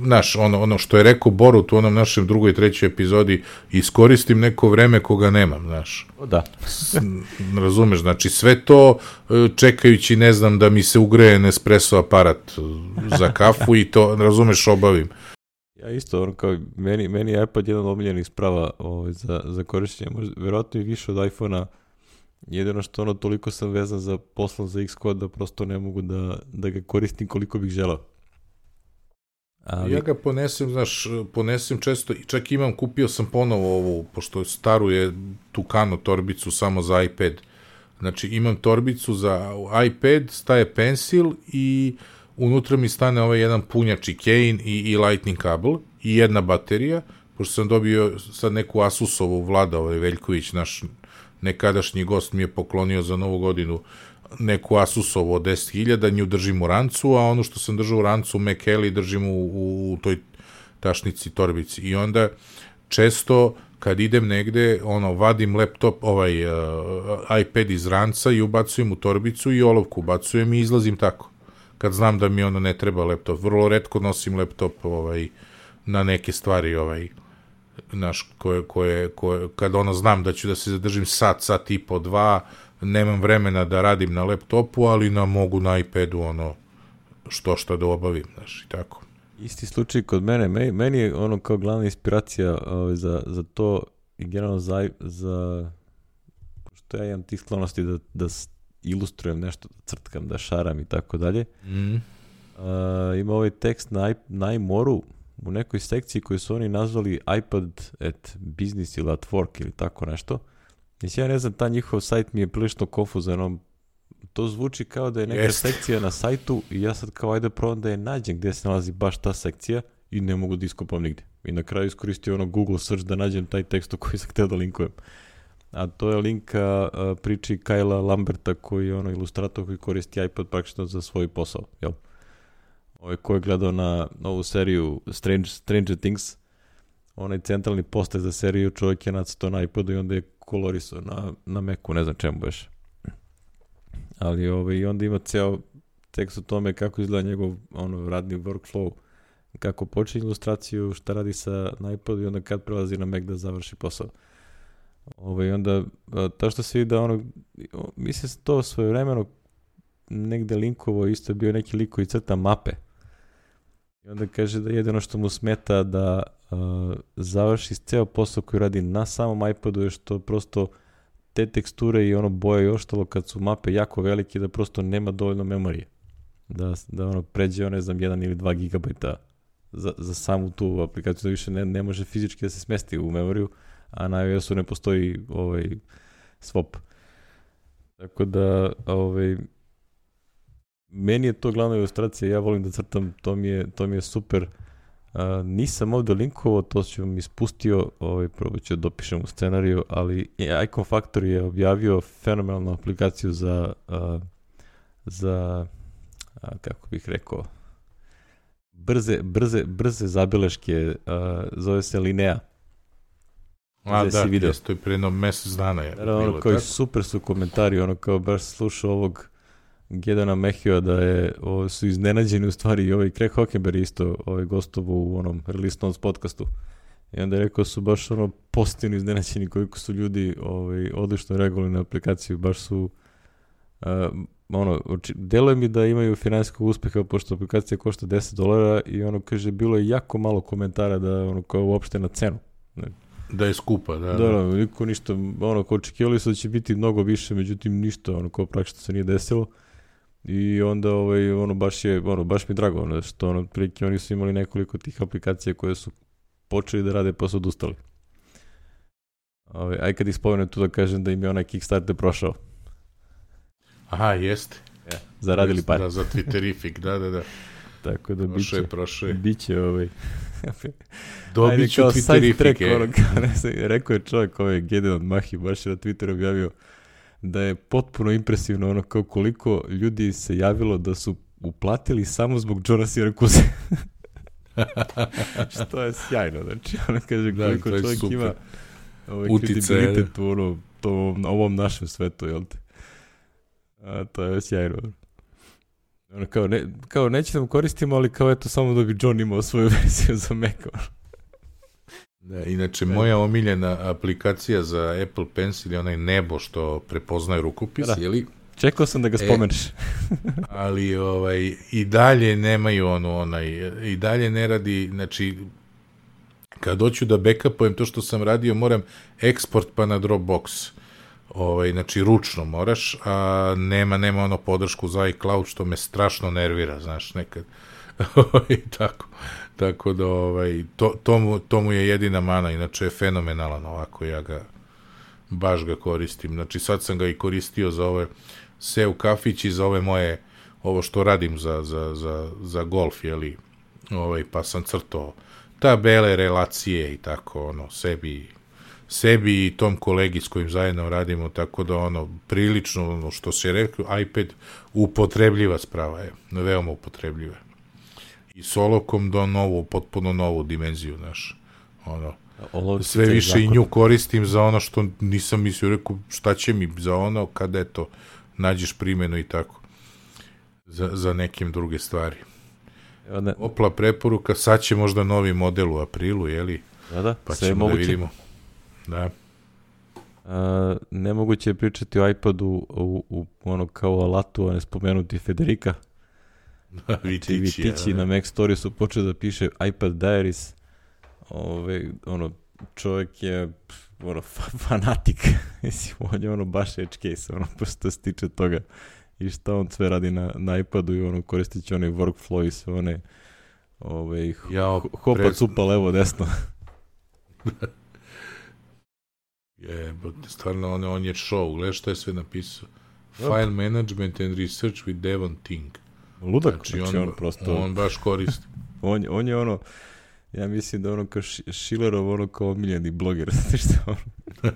znaš, ono, ono što je rekao Borut u onom našem drugoj i trećoj epizodi, iskoristim neko vreme koga nemam, znaš. Da. Razumeš, znači sve to čekajući, ne znam, da mi se ugreje Nespresso aparat za kafu i to, razumeš, obavim. Ja isto, ono kao, meni, meni je iPad jedan omiljenih sprava ovaj, za, za korišćenje, možda, verovatno i više od iPhone-a, jedino što ono, toliko sam vezan za poslom za Xcode da prosto ne mogu da, da ga koristim koliko bih želao. Ali... Ja ga ponesem, znaš, ponesem često i čak imam, kupio sam ponovo ovu, pošto staru je Tucano torbicu samo za iPad. Znači imam torbicu za iPad, staje Pencil i unutra mi stane ovaj jedan punjač i Kane i, i Lightning kabel i jedna baterija, pošto sam dobio sad neku Asusovu, Vlada ovaj Veljković, naš nekadašnji gost mi je poklonio za Novu godinu neku Asusovu od deset hiljada, nju držim u rancu, a ono što sam držao u rancu Mekeli držim u, u, u toj tašnici, torbici. I onda često kad idem negde, ono, vadim laptop, ovaj uh, iPad iz ranca i ubacujem u torbicu i olovku ubacujem i izlazim tako. Kad znam da mi ono ne treba laptop. Vrlo retko nosim laptop ovaj, na neke stvari, ovaj, naš, koje, koje, koje, kad ono znam da ću da se zadržim sat, sat i po, dva, nemam vremena da radim na laptopu, ali na mogu na iPadu ono što šta da obavim, znaš, i tako. Isti slučaj kod mene, meni, meni je ono kao glavna inspiracija ovaj, za, za to i generalno za, za što ja imam tih sklonosti da, da ilustrujem nešto, da crtkam, da šaram i tako dalje. Mm. Uh, ima ovaj tekst na, na iMoru u nekoj sekciji koju su oni nazvali iPad at business ili at work ili tako nešto. Mislim, ja ne znam, ta njihov sajt mi je prilično konfuzan, ono, to zvuči kao da je neka Jest. sekcija na sajtu i ja sad kao ajde probam da je nađem gdje se nalazi baš ta sekcija i ne mogu da iskopam nigdje. I na kraju iskoristio ono Google search da nađem taj tekst u koji sam htio da linkujem. A to je link a, a, priči Kayla Lamberta koji je ono ilustrator koji koristi iPad praktično za svoj posao. Jel? Ovaj ko je gledao na novu seriju Strange, Stranger Things, onaj centralni poster za seriju, čovjek je nacrtao na iPadu i onda je kolorisao na, na Macu, ne znam čemu baš. Ali ovaj, onda ima ceo tekst o tome kako izgleda njegov ono, radni workflow, kako počinje ilustraciju, šta radi sa na iPadu i onda kad prelazi na Mac da završi posao. Ovaj, onda, ta što se vidi da ono, mislim se to svojevremeno negde linkovo, isto je bio neki lik koji crta mape. I onda kaže da jedino što mu smeta da uh, završi ceo posao koji radi na samom iPadu je što prosto te teksture i ono boje i ostalo kad su mape jako velike da prosto nema dovoljno memorije. Da, da ono pređe, ne znam, jedan ili dva gigabajta za, za samu tu aplikaciju, da više ne, ne može fizički da se smesti u memoriju, a na iOS-u ne postoji ovaj swap. Tako da, ovaj, meni je to glavna ilustracija, ja volim da crtam, to mi je, to mi je super. Uh, nisam ovdje linkovao, to ću vam ispustio, ovaj, probat ću da dopišem u scenariju, ali Icon Factory je objavio fenomenalnu aplikaciju za, uh, za uh, kako bih rekao, brze, brze, brze zabeleške, uh, zove se Linea. A da, jes, to je pre jedno mesec dana. Je Naravno, ono, kao super su komentari, ono kao baš slušao ovog Gedana Mehija da je, o, su iznenađeni u stvari i ovaj Craig Hockenberry isto ovaj gostovo u onom Release Notes podcastu. I onda je rekao su baš ono pozitivno iznenađeni koliko su ljudi ovaj, odlično reagovali na aplikaciju, baš su uh, ono, deluje mi da imaju finansijskog uspeha pošto aplikacija košta deset dolara i ono kaže bilo je jako malo komentara da ono kao uopšte na cenu. Ne. Da je skupa, da. Da, da, niko ništa, ono kao očekivali su da će biti mnogo više, međutim ništa, ono kao praktično se nije desilo. I onda ovaj ono baš je ono baš mi drago ono što ono prilike oni su imali nekoliko tih aplikacija koje su počeli da rade pa su odustali. Ovaj aj kad ispomenem tu da kažem da im je onaj Kickstarter prošao. Aha, jeste. Ja, zaradili par. Da, za Twitterific, da, da, da. Tako da prošao biće. Je, prošao je. Biće ovaj. Dobit ću Twitterific. Ono, rekao je čovjek ovaj Gedeon Mahi baš na Twitteru objavio da je potpuno impresivno ono kao koliko ljudi se javilo da su uplatili samo zbog Johna Syracuse. Što je sjajno, znači ono kaže koliko da, čovjek super. Ima ovaj kredibilitet u ono, to, ovom našem svetu, jel te? A, to je sjajno. Ono kao, ne, kao neće nam koristimo, ali kao eto samo da bi John imao svoju verziju za Mac. Da, inače, moja omiljena aplikacija za Apple Pencil je onaj Nebo što prepoznaje rukopis, da. Jeli? Čekao sam da ga spomeneš. E, ali ovaj, i dalje nemaju ono, onaj, i dalje ne radi, znači, kad hoću da backupujem to što sam radio, moram eksport pa na Dropbox. Ovaj, znači, ručno moraš, a nema, nema ono podršku za iCloud, što me strašno nervira, znaš, nekad. I tako. Tako da, ovaj, to, to, mu, to mu je jedina mana, inače je fenomenalan ovako, ja ga, baš ga koristim. Znači, sad sam ga i koristio za ove seo kafić i za ove moje, ovo što radim za, za, za, za golf, jeli, ovaj, pa sam crtao tabele, relacije i tako, ono, sebi, sebi i tom kolegi s kojim zajedno radimo, tako da, ono, prilično, ono, što se rekao, iPad upotrebljiva sprava je, veoma upotrebljiva. I solokom do novu, potpuno novu dimenziju, znaš, ono, Ovo sve više zakon. I nju koristim za ono što nisam mislio, rekao, šta će mi za ono, kada eto, nađeš primjenu i tako, za, za nekim druge stvari. Ne. Opla preporuka, sad će možda novi model u aprilu, jeli? Da, da, pa ćemo moguće. Da vidimo. Da. A, nemoguće je pričati o iPadu u, u, u ono kao alatu, a ne spomenuti Federica. Vitići, Vitići ja, na Mac Story su počeli da piše iPad Diaries. Ove, ono, čovjek je ono, fa- fanatik. Mislim, on je ono baš edge case, ono, prosto se tiče toga. I šta on sve radi na, na iPadu i ono, koristit će onaj workflow i sve one ove, ja, hopa, pres... cupa, levo, desno. je, stvarno, on, on je show. Gledaj što je sve napisao. File management and research with Devon Ting. Ludak, znači, znači on, on prosto... On baš koristi. on, on je ono, ja mislim da ono kao Schillerov, ono kao omiljeni bloger. Ono.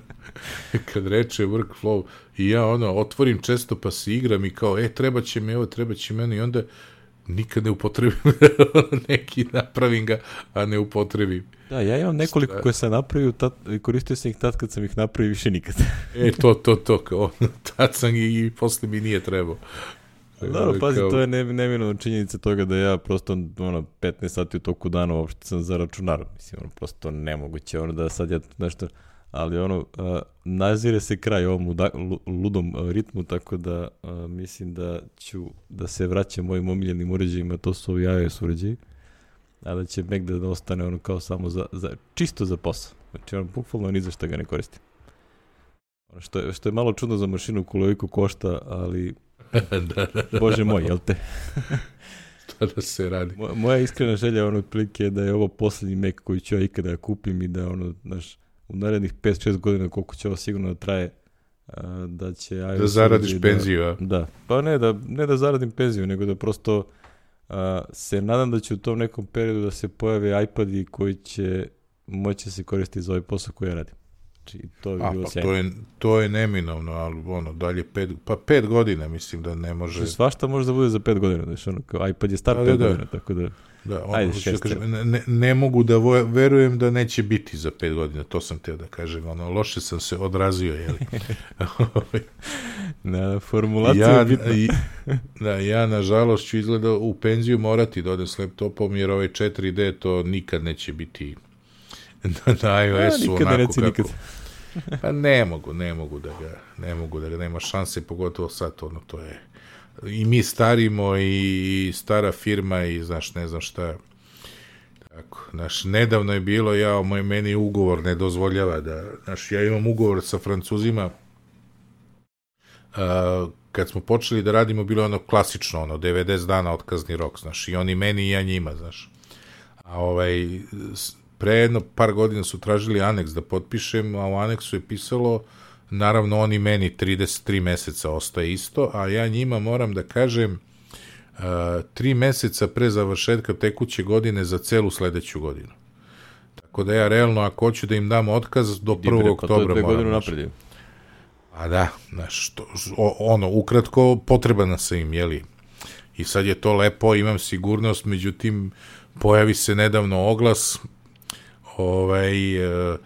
Kad reče workflow, i ja ono, otvorim često pa se igram i kao, e, treba će mi ovo, treba će meni, i onda nikad ne upotrebim neki, napravim ga, a ne upotrebim. Da, ja imam nekoliko Sta... koje sam napravio i koristio sam ih tad kad sam ih napravio, više nikad. E, to, to, to, kao, tad sam i, i posle mi nije trebao. Dobro, pazi, kao... to je ne, neminovna činjenica toga da ja prosto ono, petnaest sati u toku dana uopšte sam za računar. Mislim, ono, prosto nemoguće ono da sad ja nešto... Ali ono, uh, nazire se kraj ovom luda, ludom uh, ritmu, tako da uh, mislim da ću da se vraćam mojim omiljenim uređajima, to su ovi iOS uređaji, a da će Mac da ostane ono kao samo za, za čisto za posao. Znači ono, bukvalno ni za šta ga ne koristim. Ono što je, što je malo čudno za mašinu koliko košta, ali da, da, da, Bože moj, jel te? Šta da se radi? Moja, moja iskrena želja ono otprilike je da je ovo posljednji Mac koji ću ja ikada kupim i da ono, znaš, u narednih pet šest godina koliko će ovo sigurno da traje, a, da će iOS da zaradiš da, penziju, a? Da, pa ne da, ne da zaradim penziju, nego da prosto a, se nadam da će u tom nekom periodu da se pojave iPadi koji će moći se koristiti za ovaj posao koji ja radim. Znači, to bi a, bilo pa sjajno. To je, to je neminovno, ali ono, dalje pet, pa pet godina mislim da ne može... Znači, svašta može da bude za pet godina, znači, ono, kao iPad je star da, pet da, da. godina, tako da... Da, ono, ajde, šest, kažem, ne, ne mogu da vo, verujem da neće biti za pet godina, to sam teo da kažem, ono, loše sam se odrazio, jeli. Na formulaciju ja, je bitno. I, da, ja, nažalost, ću izgleda u penziju morati da odem s laptopom, jer ovaj četiri D to nikad neće biti na, na iOS-u, nikad onako reci, kako... nikad. Pa ne mogu, ne mogu da ga, ne mogu da ga, nema šanse, pogotovo sad, ono, to je... I mi starimo i stara firma i znaš, ne znam šta. Tako, znaš, nedavno je bilo, ja, moj, meni ugovor ne dozvoljava da, znaš, ja imam ugovor sa Francuzima, a, kad smo počeli da radimo, bilo ono klasično, ono, devedeset dana otkazni rok, znaš, i oni meni i ja njima, znaš. A ovaj, pre jedno par godina su tražili aneks da potpišem, a u aneksu je pisalo, naravno oni meni trideset tri meseca ostaje isto, a ja njima moram da kažem uh, tri meseca pre završetka tekuće godine za celu sledeću godinu. Tako da ja realno ako hoću da im dam otkaz do prvog oktobra moram. Godinu napredio. A da, znaš, to, ono, ukratko potrebana sam im, jeli. I sad je to lepo, imam sigurnost, međutim pojavi se nedavno oglas ovaj... Uh,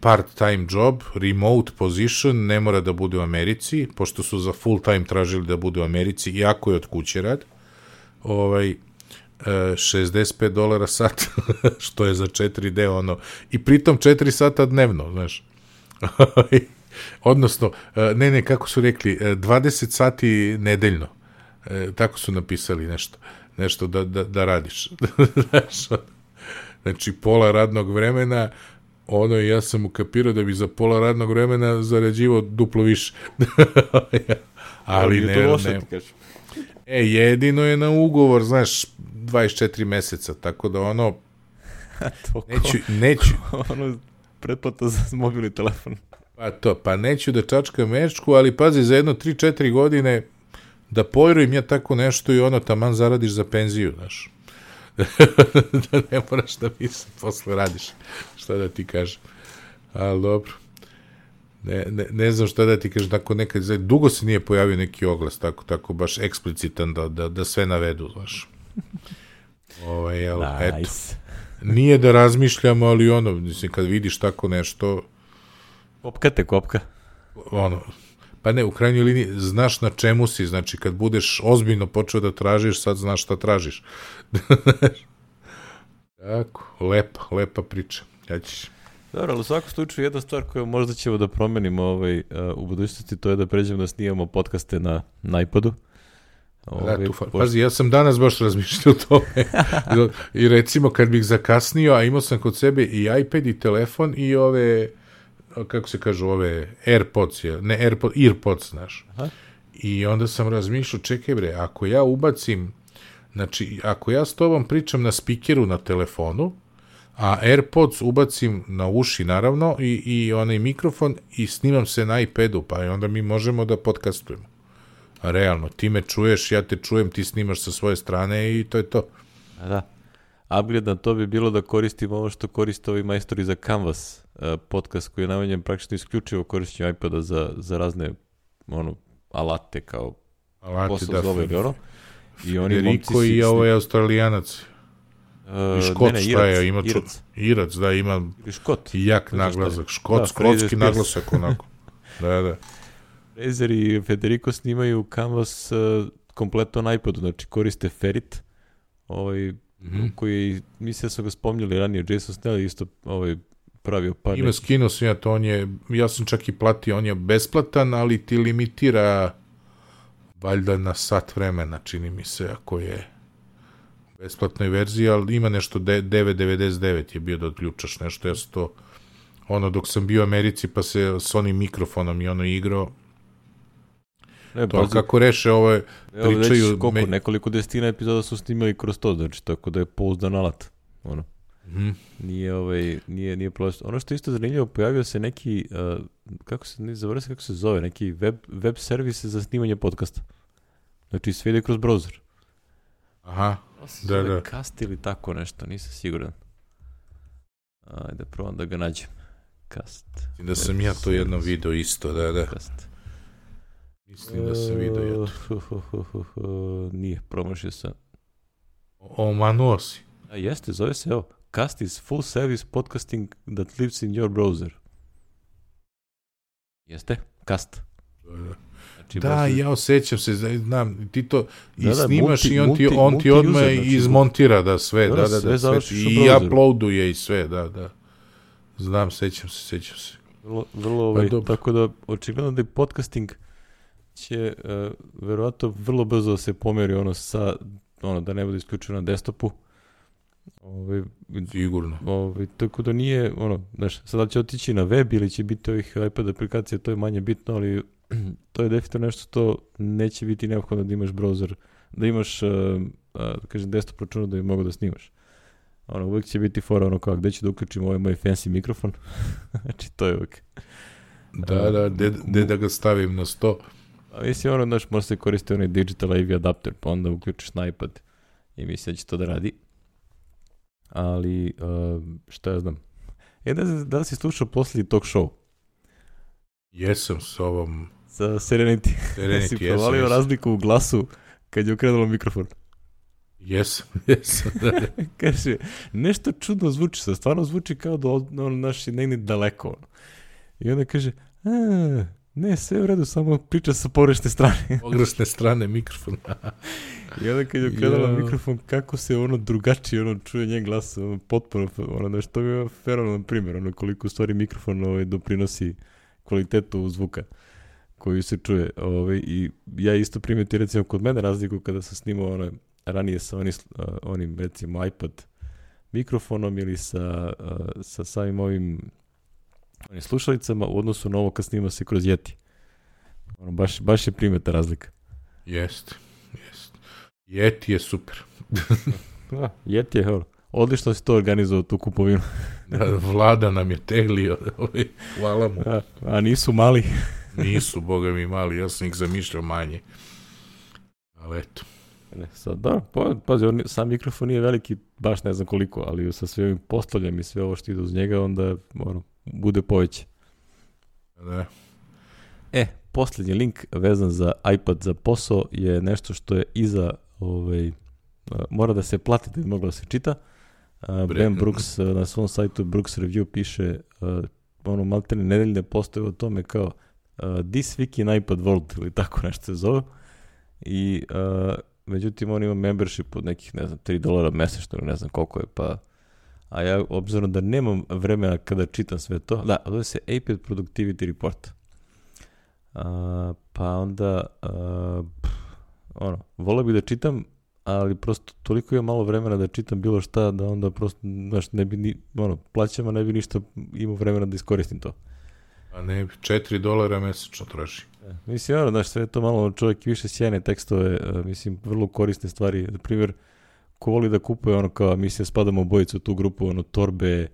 part-time job, remote position, ne mora da bude u Americi, pošto su za full-time tražili da bude u Americi, iako je od kuće rad, ovaj, šezdeset pet dolara sat, što je za četiri D, ono, i pritom četiri sata dnevno, znaš. Odnosno, ne, ne, kako su rekli, dvadeset sati nedeljno, tako su napisali nešto, nešto da, da, da radiš. Znači, pola radnog vremena, ono, ja sam ukapirao da bi za pola radnog vremena zarađivao duplo više. Ali ne, ne. E, jedino je na ugovor, znaš, dvadeset četiri meseca, tako da ono, neću, neću. Ono, pretplata za mobilni telefon. Pa to, pa neću da čačkam mečku, ali pazi, za jedno tri četiri godine da pojrujem ja tako nešto i ono, taman zaradiš za penziju, znaš. Da ne moraš da mislim, posle radiš, šta da ti kažem. Ali dobro, ne, ne, ne znam šta da ti kažem, tako nekad, dugo se nije pojavio neki oglas, tako, tako baš eksplicitan da, da, da sve navedu, znaš. Ovaj, jel, nice. Eto, nije da razmišljamo, ali ono, mislim, kad vidiš tako nešto... Kopka te kopka. Ono, pa ne, u krajnjoj liniji, znaš na čemu si, znači, kad budeš ozbiljno počeo da tražiš, sad znaš šta tražiš. Tako, lepa, lepa priča. Ja ćeš... Dobro, ali u svakom slučaju jedna stvar koju možda ćemo da promenimo ovaj, uh, u budućnosti, to je da pređemo da snimamo podcaste na, na iPadu. Ove, Da, tu, fa- pošto- pazi, ja sam danas baš razmišljao o tome. I recimo kad bih zakasnio, a imao sam kod sebe i iPad i telefon i ove, kako se kažu, ove AirPods, je- ne AirPods, EarPods, znaš. Aha. I onda sam razmišljao, čekaj bre, ako ja ubacim, znači, ako ja s tobom pričam na spikeru na telefonu, a AirPods ubacim na uši, naravno, i, i onaj mikrofon i snimam se na iPadu, pa i onda mi možemo da podcastujemo. A realno, ti me čuješ, ja te čujem, ti snimaš sa svoje strane i to je to. A da. Upgrade na to bi bilo da koristimo ovo što koriste ovi majstori za Canvas, uh, podcast koji je namenjen praktično isključivo korišćenju iPada za, za razne ono, alate kao Alati, posao da, zove ili ono. I oni Federico momci i si- ovaj Australijanac. Uh, I Škot, ne, ne, šta je, Irac, ima ču- Irac. Irac, da, ima Ili Škot. jak To je šta je. naglasak. Škot, Da, škotski Fraser naglasak, onako. Da, da. Razer i Federico snimaju Canvas uh, kompletno na iPadu, znači koriste Ferit, ovaj, Mhm. koji, mislim da su ga spomnjali ranije, Jason Snell isto ovaj, pravio par Ima nekih. skinuo sam ja to, on je, ja sam čak i platio, on je besplatan, ali ti limitira valjda na sat vremena, čini mi se, ako je besplatnoj verziji, ali ima nešto de- devet devedeset devet je bio da odključaš nešto, ja sam to, ono, dok sam bio u Americi, pa se s onim mikrofonom i ono igrao, Ne, to, ali pazi, kako reše, ovo je, evo već pričaju koliko, me- nekoliko desetina epizoda su snimali kroz to, znači tako da je pouzdan alat. Ono. Mhm. Nije ovaj nije nije prosto. Ono što je isto zanimljivo, pojavio se neki uh, kako se ne zaboravio kako se zove, neki web web servis za snimanje podcasta. Znači sve ide kroz browser. Aha, Se Da, zove da. Cast ili tako nešto, nisam siguran. Ajde, probam da ga nađem. Cast. da sam ja to jedno video isto, da, da, Cast. mislim da sam video ja to. Uh, hu, hu, hu, hu, nije, promašio sam. Omanuo si. A jeste, zove se evo. Cast is full service podcasting that lives in your browser. Jeste? Cast. Da, da. Znači, Da, baš- ja osjećam se, znam, ti to i Da, da, snimaš multi- i on ti, multi- on ti multi-user, odmah znači, izmontira da sve, da, da, da, da, da, sve sve, završiš u i browseru. uploaduje i sve, da, da. Znam, sećam se, sećam se. Vrlo, vrlo ovaj, dobro. tako da očigledno da je podcasting će uh, verovatno vrlo brzo da se pomeri ono sa, ono da ne bude isključeno na desktopu. Ovaj, Sigurno. ovaj, tako da nije, ono, znaš, sada će otići na web ili će biti ovih iPad aplikacija, to je manje bitno, ali to je definitivno nešto što neće biti neophodno da imaš browser, da imaš, uh, uh, da kažem, desktop računa da bi mogao da snimaš. Ono, uvijek će biti fora ono kao, gde ću da uključim ovaj moj fancy mikrofon. Znači, to je uvijek. Da, da, de, de da ga stavim na sto. A mislim, ono, znaš, može se koristiti onaj digital A V adapter, pa onda uključiš na iPad i mislim da će to da radi. Ali, uh, šta ja znam. E, da, da li si slušao posljednji talk show Jesam s ovom sa Serenity? Serenity, Si jesam, provalio jesam. razliku u glasu kad je okrenulo mikrofon. Jesam, jesam, da, da. Kaže, nešto čudno zvuči se, stvarno zvuči kao da od- ono naš je negdje daleko. ono. I onda kaže, a, ne, sve u redu, samo priča sa pogrešne strane. Pogrešne strane mikrofona. I onda kad je okrenula Ja. mikrofon, kako se ono drugačije ono čuje njen glas, ono, potpuno, ono, znaš, to mi je fenomenalan primjer, ono, koliko u stvari mikrofon ovaj, doprinosi kvalitetu zvuka koju se čuje. Ovaj, I ja isto primetio, recimo, kod mene razliku kada sam snimao ono, ranije sa onim, uh, onim, recimo, iPad mikrofonom ili sa, uh, sa samim ovim onim slušalicama u odnosu na ovo kad snima se kroz Yeti. Ono, baš, baš je primeta razlika. Jeste, jeste. Yeti je super. Da, Yeti je, ono, odlično si to organizovao, tu kupovinu. Da, Vlada nam je teglio, ovaj, hvala mu. A, a nisu mali. Nisu, boga mi mali, ja sam ih zamišljao manje. Ali eto. Ne, sad, da, pa, pazi, on, sam mikrofon nije veliki, baš ne znam koliko, ali sa sve ovim postavljam i sve ovo što ide uz njega, onda ono, bude poveće. Da. E, posljednji link vezan za iPad za posao je nešto što je iza, ovaj, a, mora da se plati da bi moglo da se čita. A, Bre. Ben Brooks a, na svom sajtu Brooks Review piše a, ono maltene nedeljne postoje o tome kao a, This Week in iPad World ili tako nešto se zove. I a, međutim on ima membership od nekih, ne znam, tri dolara mesečno ili ne znam koliko je, pa a ja obzirom da nemam vremena kada čitam sve to, da, zove se iPad Productivity Report. A, pa onda a, pff, ono, voleo bih da čitam, ali prosto toliko imam malo vremena da čitam bilo šta, da onda prosto, znaš, ne bi ni, ono, plaćam, a ne bi ništa imao vremena da iskoristim to. A ne, četiri dolara mesečno troši. E, mislim, ono, znaš, sve to malo čovjek više sjajne tekstove, uh, mislim, vrlo korisne stvari. Na primjer, ko voli da kupuje ono kao, mislim, spadamo obojicu u tu grupu, ono, torbe,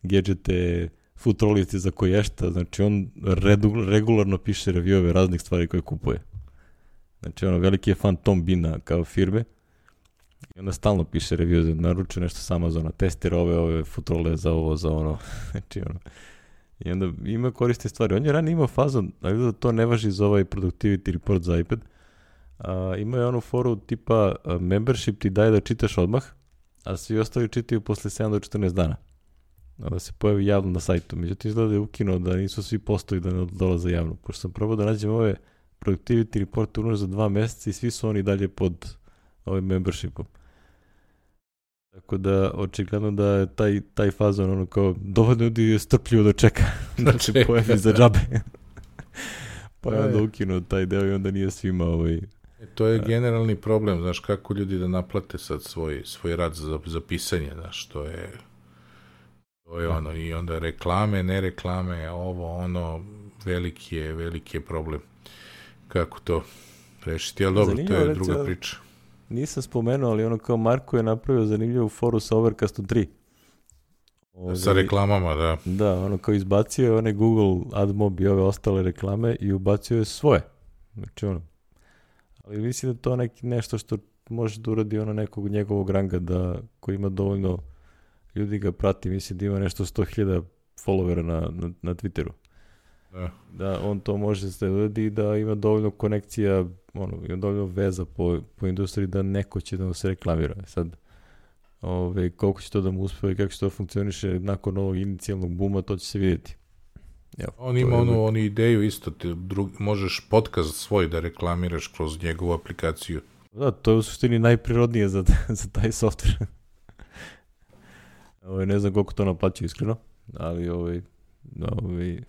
gadžete, futrolice za koješta, znači on redu, regularno piše reviewove raznih stvari koje kupuje. Znači, ono, veliki je fan Tom Bina kao firme i onda stalno piše review, naručuje nešto s Amazona, testira ove, ove futrole za ovo, za ono, znači, ono, i onda ima koriste stvari. On je ranije imao fazon, ali da to ne važi za ovaj productivity report za iPad. A, ima je onu foru tipa a, membership ti daje da čitaš odmah, a svi ostali čitaju posle sedam do četrnaest dana. Da se pojavi javno na sajtu. Međutim, izgleda je ukinuo da nisu svi postoji da ne dolaze javno. Pošto sam probao da nađem ove productivity report unuš za dva meseca i svi su oni dalje pod ovim membershipom. Tako da, očigledno da je taj, taj fazon ono kao dovoljno ljudi je strpljivo da čeka da se pojavi za džabe. Pa je onda ukinuo taj deo i onda nije svima ovaj... E, to je generalni problem, znaš, kako ljudi da naplate sad svoj, svoj rad za, za pisanje, znaš, to je to je ono, i onda reklame, ne reklame, ovo, ono, veliki je, veliki je problem. Kako to rešiti, ali dobro, zanimljivo, to je druga priča. Nisam spomenuo, ali ono kao Marko je napravio zanimljivu foru sa Overcastom tri. Ove, sa reklamama, da. Da, ono kao izbacio je one Google AdMob i ove ostale reklame i ubacio je svoje. Znači ono, ali mislim da to neki nešto što može da uradi ono nekog njegovog ranga da, koji ima dovoljno ljudi ga prati, mislim da ima nešto sto hiljada followera na, na, na Twitteru. Da. Da on to može se uradi i da ima dovoljno konekcija, ono, ima dovoljno veza po, po industriji da neko će da mu se reklamira. Sad, ove, koliko će to da mu uspeva i kako će to funkcioniše nakon ovog inicijalnog buma, to će se vidjeti. Evo, on ima onu, uvijek... onu ideju isto, te drug, možeš podcast svoj da reklamiraš kroz njegovu aplikaciju. Da, to je u suštini najprirodnije za, za taj software. Ove, ne znam koliko to naplaćaju iskreno, ali ovaj, ovaj,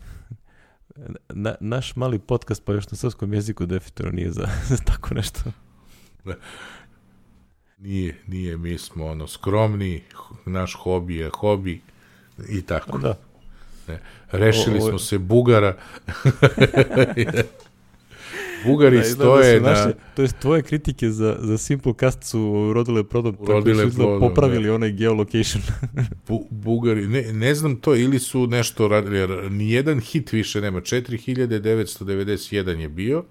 na, naš mali podcast pa još na srpskom jeziku definitivno nije za, za tako nešto. Da. Nije, nije, mi smo ono skromni, naš hobi je hobi i tako. Da. Ne. Rešili o, o, smo se Bugara. Bugari da, stoje na... Naše, to jest tvoje kritike za, za Simplecast su rodile plodom, tako su plodom, popravili da. Onaj geolocation. Bu, Bugari, ne, ne znam to, ili su nešto radili, jer nijedan hit više nema, četiri hiljade devetsto devedeset jedan je bio,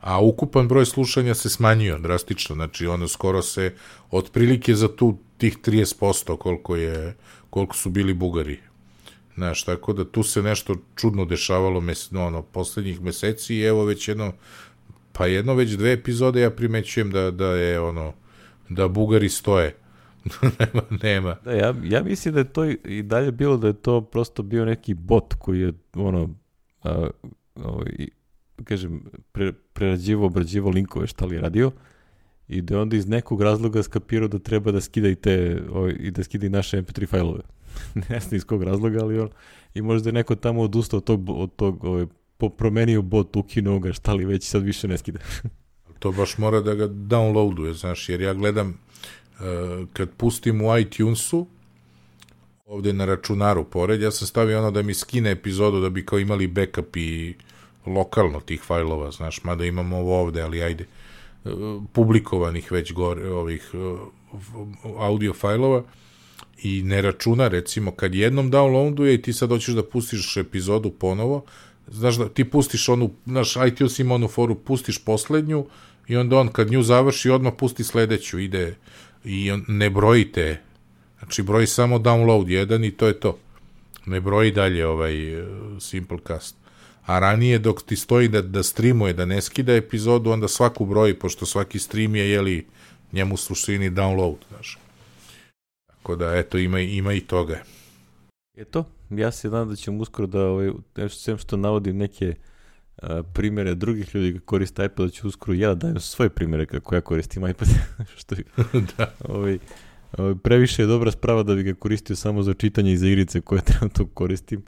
a ukupan broj slušanja se smanjio drastično, znači ono skoro se otprilike za tu tih trideset posto koliko je, koliko su bili Bugari. Znaš, tako da tu se nešto čudno dešavalo mes, no, ono, poslednjih meseci i evo već jedno, pa jedno već dve epizode ja primećujem da, da je ono, da Bugari stoje. nema, nema. Da, ja, ja mislim da je to i dalje bilo da je to prosto bio neki bot koji je ono, a, ovaj, kažem, pre, prerađivo, obrađivo linkove šta li je radio i da onda iz nekog razloga skapirao da treba da skida i te, ovaj, i da skida i naše em pe tri fajlove. Ne znam iz kog razloga, ali on, i možda je neko tamo odustao od tog, od tog ovaj, promenio bot, ukinuo ga, šta li već sad više ne skida. To baš mora da ga downloaduje, znaš, jer ja gledam uh, kad pustim u iTunesu ovde na računaru pored, ja sam stavio ono da mi skine epizodu da bi kao imali backup i lokalno tih fajlova, znaš, mada imamo ovo ovde, ali ajde, uh, publikovanih već gore ovih uh, audio fajlova i ne računa, recimo, kad jednom downloaduje i ti sad hoćeš da pustiš epizodu ponovo, znaš da ti pustiš onu, naš iTunes ima onu foru, pustiš poslednju i onda on kad nju završi odmah pusti sledeću, ide i on ne broji te, znači broji samo download jedan i to je to. Ne broji dalje ovaj uh, Simplecast. A ranije dok ti stoji da, da streamuje, da ne skida epizodu, onda svaku broji, pošto svaki stream je, jeli, njemu suštini download, znaš. Tako da, eto, ima, ima i toga. Eto, ja se nadam da ćemo uskoro da, ovaj, sem što navodim neke uh, primere drugih ljudi koji koriste iPad, da ću uskoro ja da dajem svoje primere kako ja koristim iPad. što je, da. Ovaj, ovaj, previše je dobra sprava da bi ga koristio samo za čitanje i za igrice koje trenutno koristim,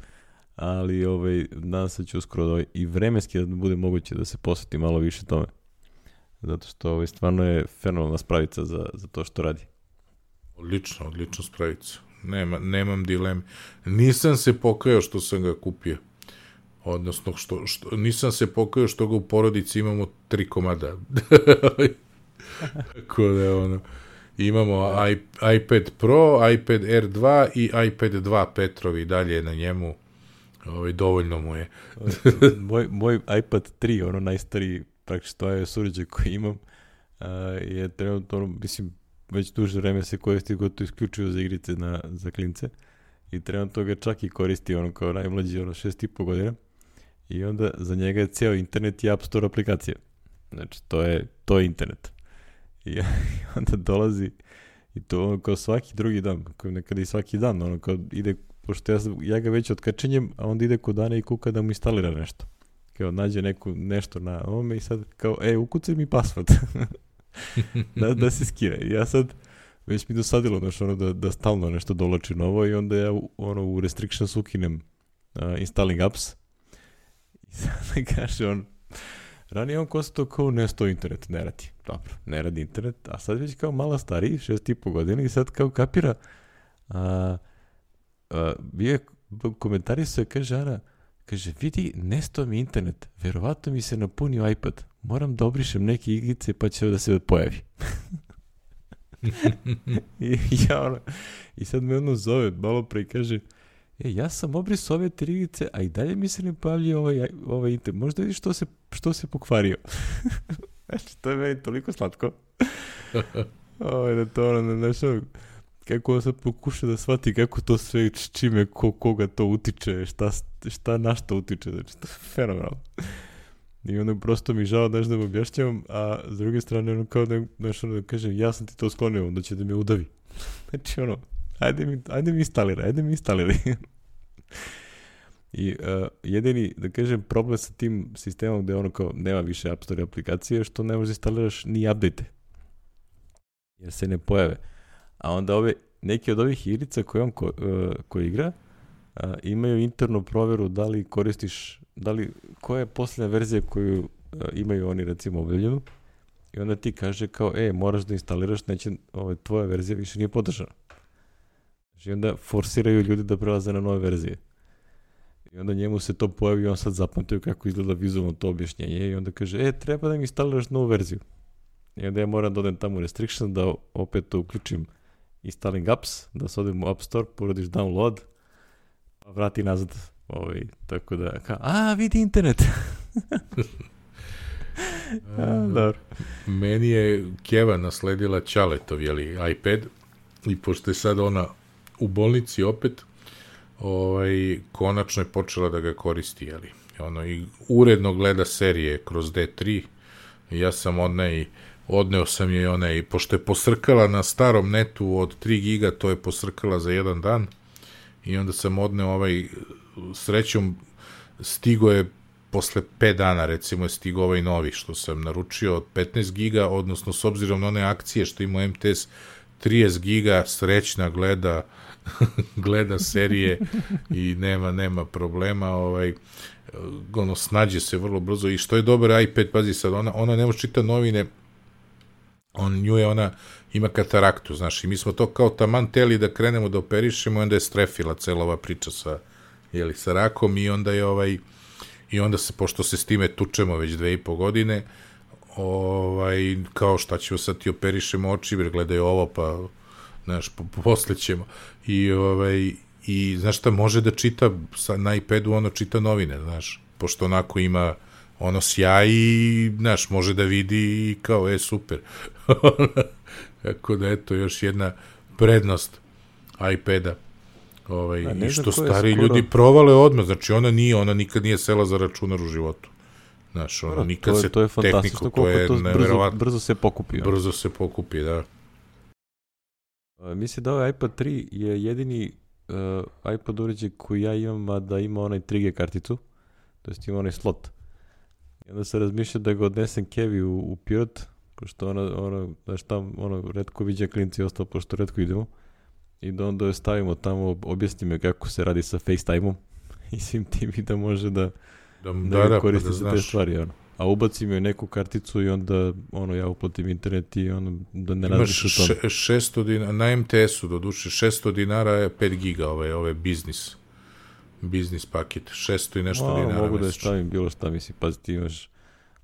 ali ovaj, nadam se da ću uskoro ovaj, i vremenski da bude moguće da se posveti malo više tome. zato što ovaj, stvarno je fenomenalna spravica za, za to što radi. Odlično, odlično spravica. Nema, nemam dileme. Nisam se pokajao što sam ga kupio. Odnosno, što, što, nisam se pokajao što ga u porodici imamo tri komada. Tako da je ono... Imamo iPad Pro, iPad Air dva i iPad dva Petrovi dalje na njemu. Ovaj, dovoljno mu je. moj, moj iPad tri, ono najstariji praktično je uređaj koji imam, uh, je trenutno, ono, mislim, već duže vreme se koristi gotovo isključivo za igrice na, za klince i trenutno ga čak i koristi ono kao najmlađi, ono šest i po godina i onda za njega je ceo internet i App Store aplikacija. Znači, to je, to je internet. I onda dolazi i to ono kao svaki drugi dan, kao nekada i svaki dan, ono kao ide, pošto ja, ja ga već otkačenjem, a onda ide kod Dane i kuka da mu instalira nešto. Kao nađe neku, nešto na ovome i sad kao, e, ukucaj mi password. da, da se skira. I ja sad, već mi dosadilo, znači, ono, da, da stalno nešto dolači novo i onda ja ono, u restrictions ukinem uh, installing apps i sad kaže on, ranije on konstatovao kao ne sto internet, ne radi. Dobro, ne radi internet, a sad već kao malo stariji, šest i po godina i sad kao kapira. A, a, bio komentarisao je, kaže Ana, kaže, vidi, nesto mi internet, verovatno mi se napunio iPad, moram da obrišem neke igrice pa će da se pojavi. I, ja, ono, I sad me ono zove malo pre i kaže, e, ja sam obrisao ove tri igrice, a i dalje mi se ne pojavlja ovaj, ovaj internet. Možda vidiš što se, što se pokvario. Znači, to je meni toliko slatko. Ovo je to ono, znaš, kako on sad pokuša da shvati kako to sve, čime, ko, koga to utiče, šta, šta na što utiče, znači, to je fenomenalno. I onda prosto mi žao, znaš, da mu objašnjavam, a s druge strane, ono, kao da, znaš, ono, da kažem, ja sam ti to sklonio, onda će da me udavi. Znači, ono, ajde mi, ajde mi instaliraj, ajde mi instaliraj. I uh, jedini, da kažem, problem sa tim sistemom gde ono kao nema više App Store aplikacije što ne možeš instaliraš ni update jer se ne pojave. A onda ove, neke od ovih igrica koje on ko, uh, koji igra uh, imaju internu proveru da li koristiš, da li, koja je posljednja verzija koju uh, imaju oni recimo objavljenu i onda ti kaže kao, e, moraš da instaliraš, neće, ove, tvoja verzija više nije podržana. Znači onda forsiraju ljudi da prelaze na nove verzije. I onda njemu se to pojavi i on sad zapamtio kako izgleda vizualno to objašnjenje i onda kaže, e, treba da mi instaliraš novu verziju. I onda ja moram da odem tamo u restriction, da opet to uključim installing apps, da se odem u App Store, poradiš download, pa vrati nazad. Ovaj, tako da, ka, a, vidi internet. a, dobro. Meni je Keva nasledila Ćaletov, jeli, iPad i pošto je sad ona u bolnici opet, ovaj, konačno je počela da ga koristi, jeli. Ono, i uredno gleda serije kroz D tri. I ja sam odne i odneo sam je onaj, pošto je posrkala na starom netu od tri giga, to je posrkala za jedan dan. I onda sam odneo ovaj, srećom, stigo je posle pet dana, recimo je stigo ovaj novi, što sam naručio od petnaest giga, odnosno s obzirom na one akcije što ima M T S, trideset giga, srećna gleda gleda serije i nema nema problema, ovaj ono snađe se vrlo brzo i što je dobar iPad, pazi sad, ona, ona ne može čita novine, on nju je, ona ima kataraktu, znaš, i mi smo to kao taman teli da krenemo da operišemo i onda je strefila cela ova priča sa, jeli, sa rakom i onda je ovaj, i onda se, pošto se s time tučemo već dve i po godine, ovaj, kao šta ćemo sad ti operišemo oči, jer gledaj ovo, pa znaš, po, posle ćemo. I, ovaj, i znaš šta, može da čita sa, na iPadu, ono čita novine, znaš, pošto onako ima ono sjaj i, znaš, može da vidi i kao, e, super. Tako da, eto, još jedna prednost iPada. Ovaj, i što stari skoro... ljudi provale odmah, znači ona nije, ona nikad nije sela za računar u životu. Znaš, ono, nikad to je, se to je tehniku, to je neverovatno. Brzo, brzo se pokupi. Ono. Brzo se pokupi, da. Uh, mislim da ovaj iPad tri je jedini uh, iPad uređaj koji ja imam, a da ima onaj tri G karticu, to jest ima onaj slot. I onda se razmišlja da ga odnesem Kevi u, u Pirot, pošto ona, ona, znaš, tam, ono, redko viđa klinci i ostalo, pošto redko idemo. I da onda je stavimo tamo, objasni me kako se radi sa FaceTime-om i svim tim i da može da, da, da, da koristi pa da za te stvari. Ono. a ubacim joj neku karticu i onda ono ja uplatim internet i ono da ne Imaš razmišljam o tome. še, šesto dinara, na em te esu do duše, šesto dinara je pet giga, ove, ove biznis, biznis paket, šesto i nešto no, dinara mogu da je mesečno. stavim bilo šta, mislim, pazi, ti imaš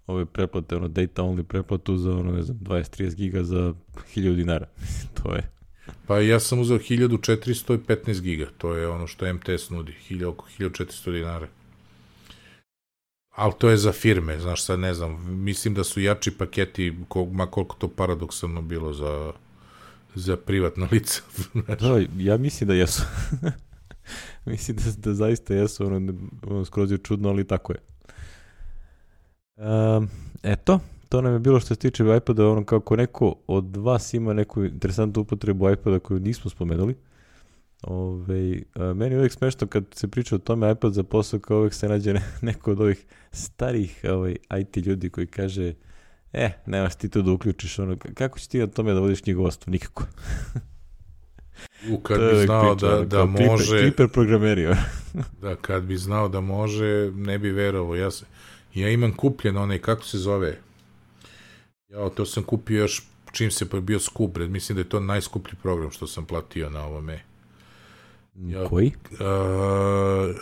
ove preplate, ono, data only preplatu za, ono, ne znam, dvadeset trideset giga za hiljadu dinara. To je... Pa ja sam uzeo hiljadu četiristo petnaest giga, to je ono što em te es nudi, hiljadu, oko hiljadu četiristo dinara. Ali to je za firme, znaš, sad ne znam, mislim da su jači paketi, kol, ma koliko to paradoksalno bilo za, za privatna lica. Da, ja mislim da jesu. Mislim da, da zaista jesu, ono, ono skroz je čudno, ali tako je. Um, eto, to nam je bilo što se tiče iPada, ono kako neko od vas ima neku interesantnu upotrebu iPada koju nismo spomenuli. Ove, a, meni je uvijek smešno kad se priča o tome iPad za posao, kao uvijek se nađe ne, neko od ovih starih ovaj, i te ljudi koji kaže e, nemaš ti to da uključiš, ono, kako će ti na tome da vodiš knjigovodstvo? Nikako. U, kad bi znao priča, da, da može... Kliper, kliper programeri. Da, kad bi znao da može, ne bi verovao. Ja, se, ja imam kupljen onaj, kako se zove? Ja, to sam kupio još čim se bio skup, mislim da je to najskuplji program što sam platio na ovome. Ja, koji? A,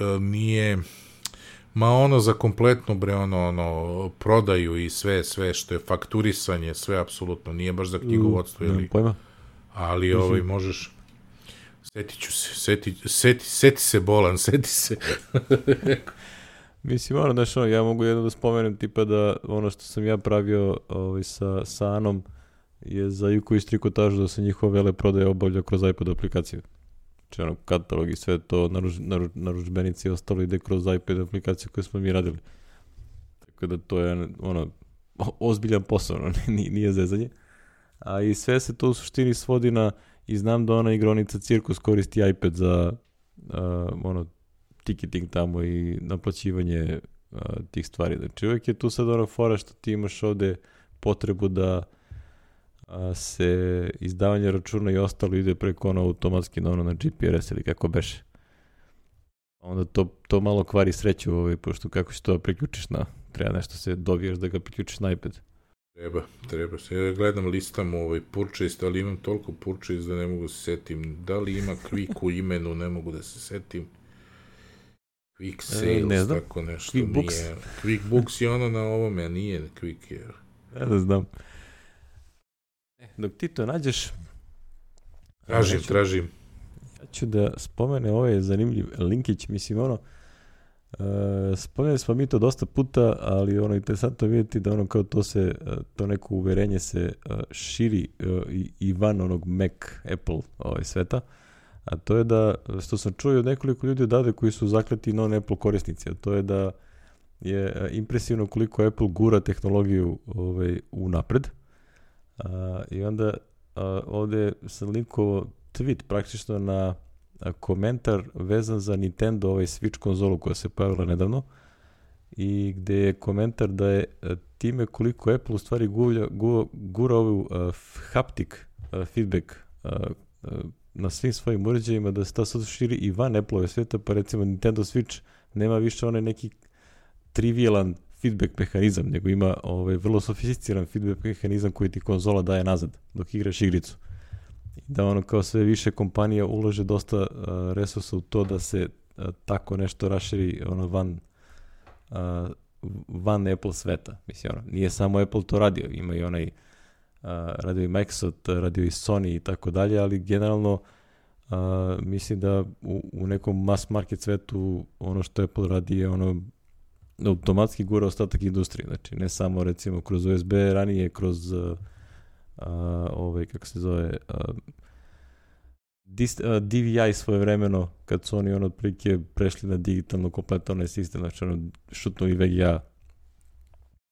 a, nije... Ma ono za kompletno, bre, ono, ono, prodaju i sve, sve što je fakturisanje, sve apsolutno, nije baš za knjigovodstvo, ili... Pojma. Ali, ovaj, možeš... Setit ću se, seti, seti, seti se Bolan, seti se. Mislim, ono, znaš, ono, ja mogu jedno da spomenem, tipa da ono što sam ja pravio ovaj, sa, sa Anom je za Juko i Strikotažu da se njihova vele prodaje obavlja kroz iPad aplikaciju. Znači, ono, katalog i sve to, naruč, naruč, naručbenici i ostalo ide kroz iPad aplikaciju koju smo mi radili. Tako da to je, ono, ozbiljan posao, ono, nije, nije zezanje. A i sve se to u suštini svodi na, i znam da ona igronica Cirkus koristi iPad za, uh, ono, ticketing tamo i naplaćivanje uh, tih stvari. Znači, uvijek je tu sad ono fora što ti imaš ovde potrebu da uh, se izdavanje računa i ostalo ide preko ono automatski na ono na G P R S ili kako beše. Onda to, to malo kvari sreću, ovaj, pošto kako će to priključiš na, treba nešto se dobijaš da ga priključiš na iPad. Treba, treba se. Ja gledam listam ovaj purchase, ali imam toliko purchase da ne mogu se setim. Da li ima Quick u imenu, ne mogu da se setim. Quick Sales, ne znam. tako nešto. Quick Books. Nije. Quick Books je ono na ovome, a nije Quick je. Ja da znam. E, dok ti to nađeš... Tražim, ja ću, tražim. Ja ću da spomene ovaj zanimljiv linkić, mislim ono... Uh, spomenuli smo mi to dosta puta, ali ono interesantno vidjeti da ono kao to se, uh, to neko uverenje se uh, širi uh, i, i van onog Mac, Apple ovaj, sveta, a to je da, što sam čuo od nekoliko ljudi odavde koji su zakleti non-Apple korisnici, a to je da je uh, impresivno koliko Apple gura tehnologiju ovaj, u napred. Uh, i onda uh, ovdje sam linkovao tweet praktično na komentar vezan za Nintendo, ovaj Switch konzolu koja se pojavila nedavno, i gde je komentar da je time koliko Apple u stvari gura, gura, gura ovu uh, haptic uh, feedback uh, uh, na svim svojim uređajima, da se ta sad širi i van Apple-ove sveta, pa recimo Nintendo Switch nema više onaj neki trivialan feedback mehanizam, nego ima ovaj, vrlo sofisticiran feedback mehanizam koji ti konzola daje nazad dok igraš igricu. Da ono kao sve više kompanija ulaže dosta uh, resursa u to da se uh, tako nešto raširi ono van uh, van Apple sveta. Mislim, ono, nije samo Apple to radio, ima i onaj uh, radio i Microsoft, radio i Sony i tako dalje, ali generalno uh, mislim da u, u nekom mass market svetu ono što Apple radi je ono automatski gura ostatak industrije. Znači ne samo recimo kroz U S B, ranije kroz uh, Uh, ovaj, kako se zove uh, dis, uh, D V I svojevremeno, kad su oni ono otprilike prešli na digitalno kompletno onaj sistem, znači ono šutno i V G A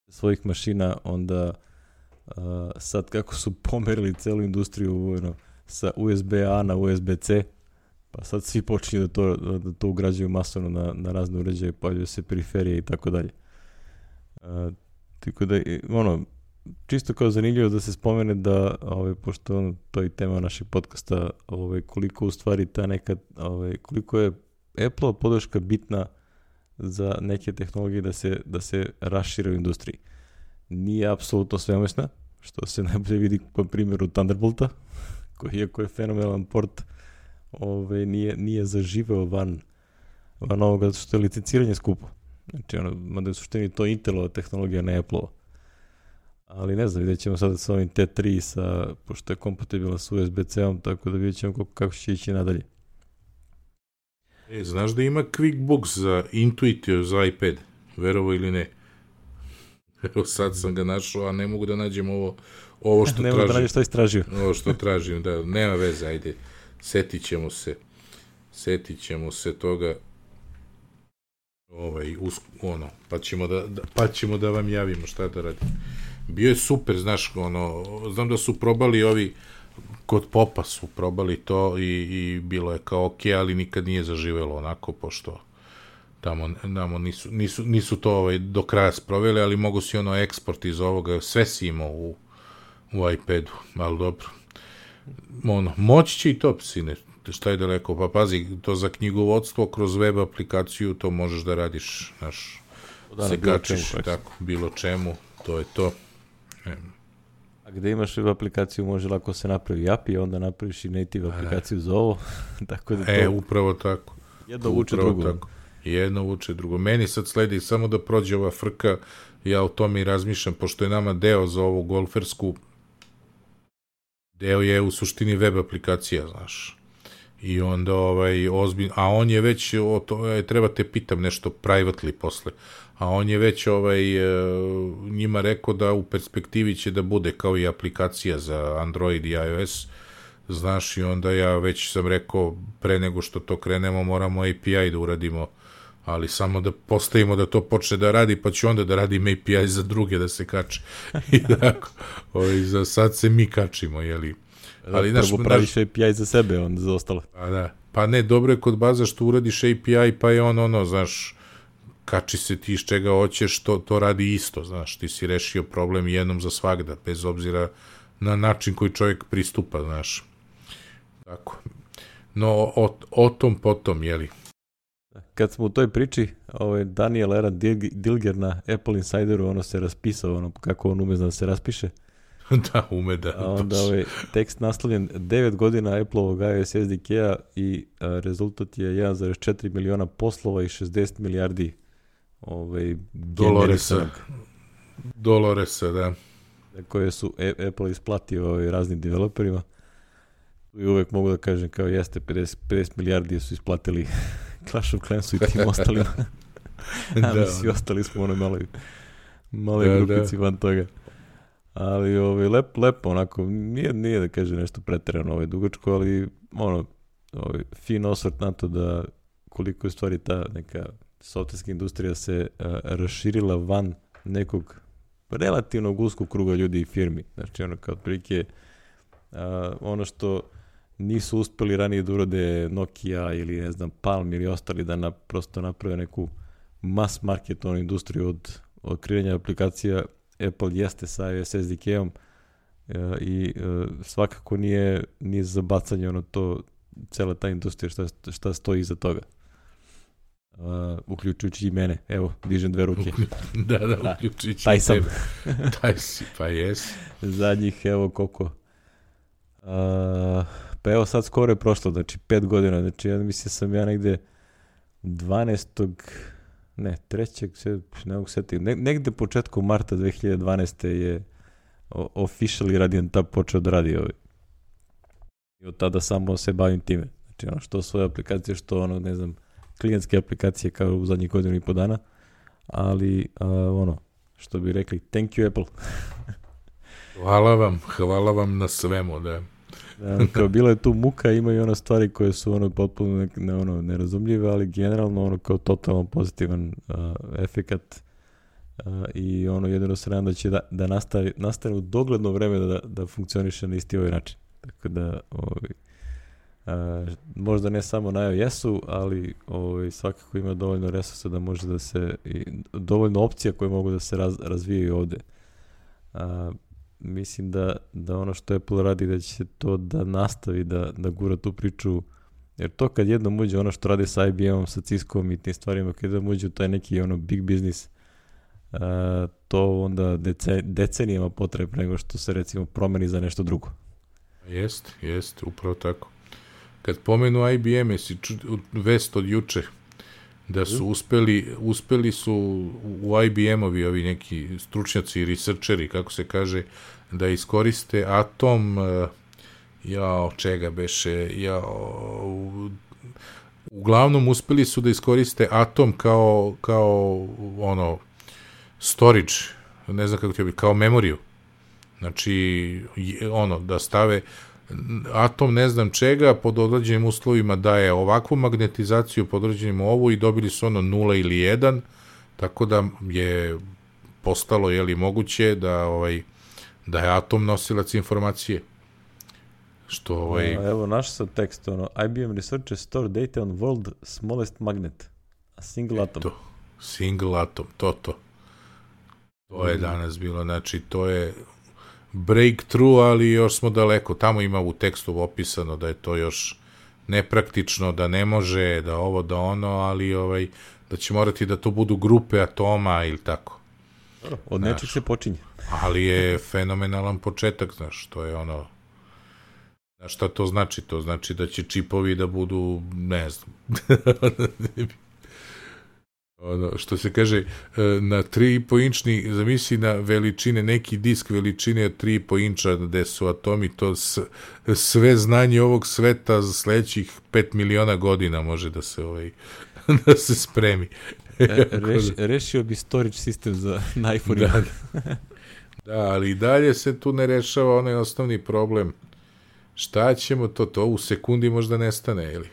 svojih mašina, onda uh, sad kako su pomerili celu industriju ono, sa U S B A na U S B C, pa sad svi počinju da to, da to ugrađuju masovno na, na razne uređaje, pojavljaju se periferije i tako dalje. Uh, tako da, ono, čisto kao zanimljivo da se spomene da, ovaj, pošto ono, to je i tema našeg podcasta, ovaj, koliko u stvari ta neka, ovaj, koliko je Apple-ova podrška bitna za neke tehnologije da se, da se rašire u industriji. Nije apsolutno svemoćna, što se najbolje vidi po primjeru Thunderbolta, koji iako je fenomenalan port, ove, nije, nije zaživeo van, van ovoga, zato što je licenciranje skupo. Znači, ono, mada je u suštini to Intelova tehnologija, ne Apple-ova. Ali ne znam, vidjet ćemo sada sa ovim T tri, sa, pošto je kompatibilna s U S B C-om, tako da vidjet ćemo kako, kako će ići nadalje. E, znaš da ima QuickBooks za Intuitio za iPad, verovo ili ne? Evo sad sam ga našao, a ne mogu da nađem ovo, ovo što ne tražim. Ne mogu da nađem što istražio. Ovo što tražim, da, nema veze, ajde, setit ćemo se, setit ćemo se toga, ovaj, us, ono, pa ćemo da, da, pa ćemo da vam javimo šta da radimo. Bio je super, znaš, ono, znam da su probali ovi, kod Popa su probali to i, i bilo je kao ok, ali nikad nije zaživelo onako, pošto tamo, tamo nisu, nisu, nisu to ovaj, do kraja sproveli, ali mogu si ono eksport iz ovoga, sve si imao u, u iPadu, ali dobro. Ono, moći će i to, sine, šta je daleko, pa pazi, to za knjigovodstvo kroz web aplikaciju, to možeš da radiš, znaš, da, se kačiš, tako, bilo čemu, to je to. E. A gde imaš web aplikaciju, može lako se napravi A P I, onda napraviš i native aplikaciju za ovo. Tako da to... E, upravo tako. Jedno vuče drugo. Tako. Jedno vuče drugo. Meni sad sledi samo da prođe ova frka, ja o tome i razmišljam, pošto je nama deo za ovu golfersku, deo je u suštini web aplikacija, znaš. I onda ovaj ozbiljno, a on je već, o to, treba te pitam nešto privately posle, a on je već ovaj, njima rekao da u perspektivi će da bude kao i aplikacija za Android i iOS, znaš, i onda ja već sam rekao, pre nego što to krenemo, moramo A P I da uradimo, ali samo da postavimo da to počne da radi, pa ću onda da radim A P I za druge da se kače. I tako, ovaj, za sad se mi kačimo, jeli. Ali da, prvo praviš A P I za sebe, onda za ostalo. Pa da, pa ne, dobro je kod baza što uradiš A P I, pa je on ono, znaš, kači se ti iz čega hoćeš, to, to radi isto, znaš, ti si rešio problem jednom za svagda, bez obzira na način koji čovjek pristupa, znaš. Tako. No, o, o tom potom, jeli. Kad smo u toj priči, ovaj Daniel Eran Dilger na Apple Insideru, ono se raspisao, ono kako on ume da se raspiše. Da, ume da. A onda ovaj tekst naslovljen devet godina Apple-ovog iOS S D K-a i a, rezultat je jedan zarez četiri miliona poslova i šezdeset milijardi ovaj, Doloresa. Doloresa, da. Koje su A- Apple isplatio ovaj, raznim developerima. I uvek mogu da kažem kao jeste, pedeset, pedeset milijardi su isplatili Clash of Clansu i tim ostalima. A da, mi svi ostali smo ono maloj, maloj da, grupici da. Van toga. Ali ovaj, lep, lepo, onako, nije, nije da kaže nešto preterano ovaj, dugačko, ali ono, ovaj, fin osvrt na to da koliko je stvari ta neka softverska industrija se uh, raširila van nekog relativnog uskog kruga ljudi i firmi. Znači, ono, kao otprilike uh, ono što nisu uspeli ranije da urade Nokia ili, ne znam, Palm ili ostali da na, prosto naprave neku mass marketovnu industriju od, od kreiranja aplikacija. Apple jeste sa iOS S D K-om uh, i uh, svakako nije, nije za bacanje ono to, cela ta industrija šta, šta stoji iza toga. Uh, uključujući i mene. Evo, dižem dve ruke. da, da, uključujući taj sam. taj si, pa jes. Zadnjih, evo koliko. Uh, pa evo sad skoro je prošlo, znači pet godina, znači ja mislim sam ja negde dvanaestog ne, trećeg ne mogu setiti, ne, negde početkom marta dve hiljade dvanaeste je officially Radiant Tab počeo da radi ovaj. I od tada samo se bavim time. Znači ono, što svoje aplikacije, što ono, ne znam, klijentske aplikacije kao u zadnjih godinu i po dana, ali uh, ono, što bi rekli, thank you Apple. Hvala vam, hvala vam na svemu, da. Da, kao bila je tu muka, ima i ono stvari koje su ono potpuno ne, ne, ono, nerazumljive, ali generalno ono kao totalno pozitivan uh, efekat uh, i ono jedino se nadam da će da, da nastavi, nastane u dogledno vreme da, da funkcioniše na isti ovaj način. Tako da ovaj, uh, možda ne samo na iOS-u, ali ovaj, svakako ima dovoljno resursa da može da se, i dovoljno opcija koje mogu da se raz, razvijaju ovde. Uh, mislim da, da ono što Apple radi da će to da nastavi da, da gura tu priču Jer to kad jednom uđe ono što radi sa I B M-om, sa Cisco-om i tim stvarima, kad jednom uđe u taj neki ono big business, uh, to onda dece, decenijama potrebno nego što se recimo promeni za nešto drugo. Jest, jest, upravo tako. Kad pomenu I B M, jesi ču, vest od juče, da su uspeli, uspeli su u I B M-ovi ovi neki stručnjaci, researcheri, kako se kaže, da iskoriste atom, jao, čega beše, jao, uglavnom uspeli su da iskoriste atom kao, kao ono, storage, ne znam kako ti bi, kao memoriju. Znači, ono, da stave atom ne znam čega pod određenim uslovima daje ovakvu magnetizaciju, pod određenim ovu i dobili su ono nula ili jedan, tako da je postalo, je li moguće da ovaj da je atom nosilac informacije. Što ovaj A, evo naš sad tekst, ono, I B M researchers store data on world smallest magnet, a single atom. To, single atom, to to. To je danas bilo, znači to je breakthrough, ali još smo daleko. Tamo ima u tekstu opisano da je to još nepraktično, da ne može, da ovo, da ono, ali ovaj, da će morati da to budu grupe atoma ili tako. Od nečeg se počinje. Ali je fenomenalan početak, znaš, to je ono, znaš šta to znači? To znači da će čipovi da budu, ne znam, ono, što se kaže, na tri i po inčni, zamisli na veličine, neki disk veličine od tri i po inča gde su atomi, to s, sve znanje ovog sveta za sledećih pet miliona godina može da se ovaj, da se spremi. E, reš, rešio bi storage sistem za na iPhone. Da, da, ali i dalje se tu ne rešava onaj osnovni problem. Šta ćemo to? To u sekundi možda nestane, ili?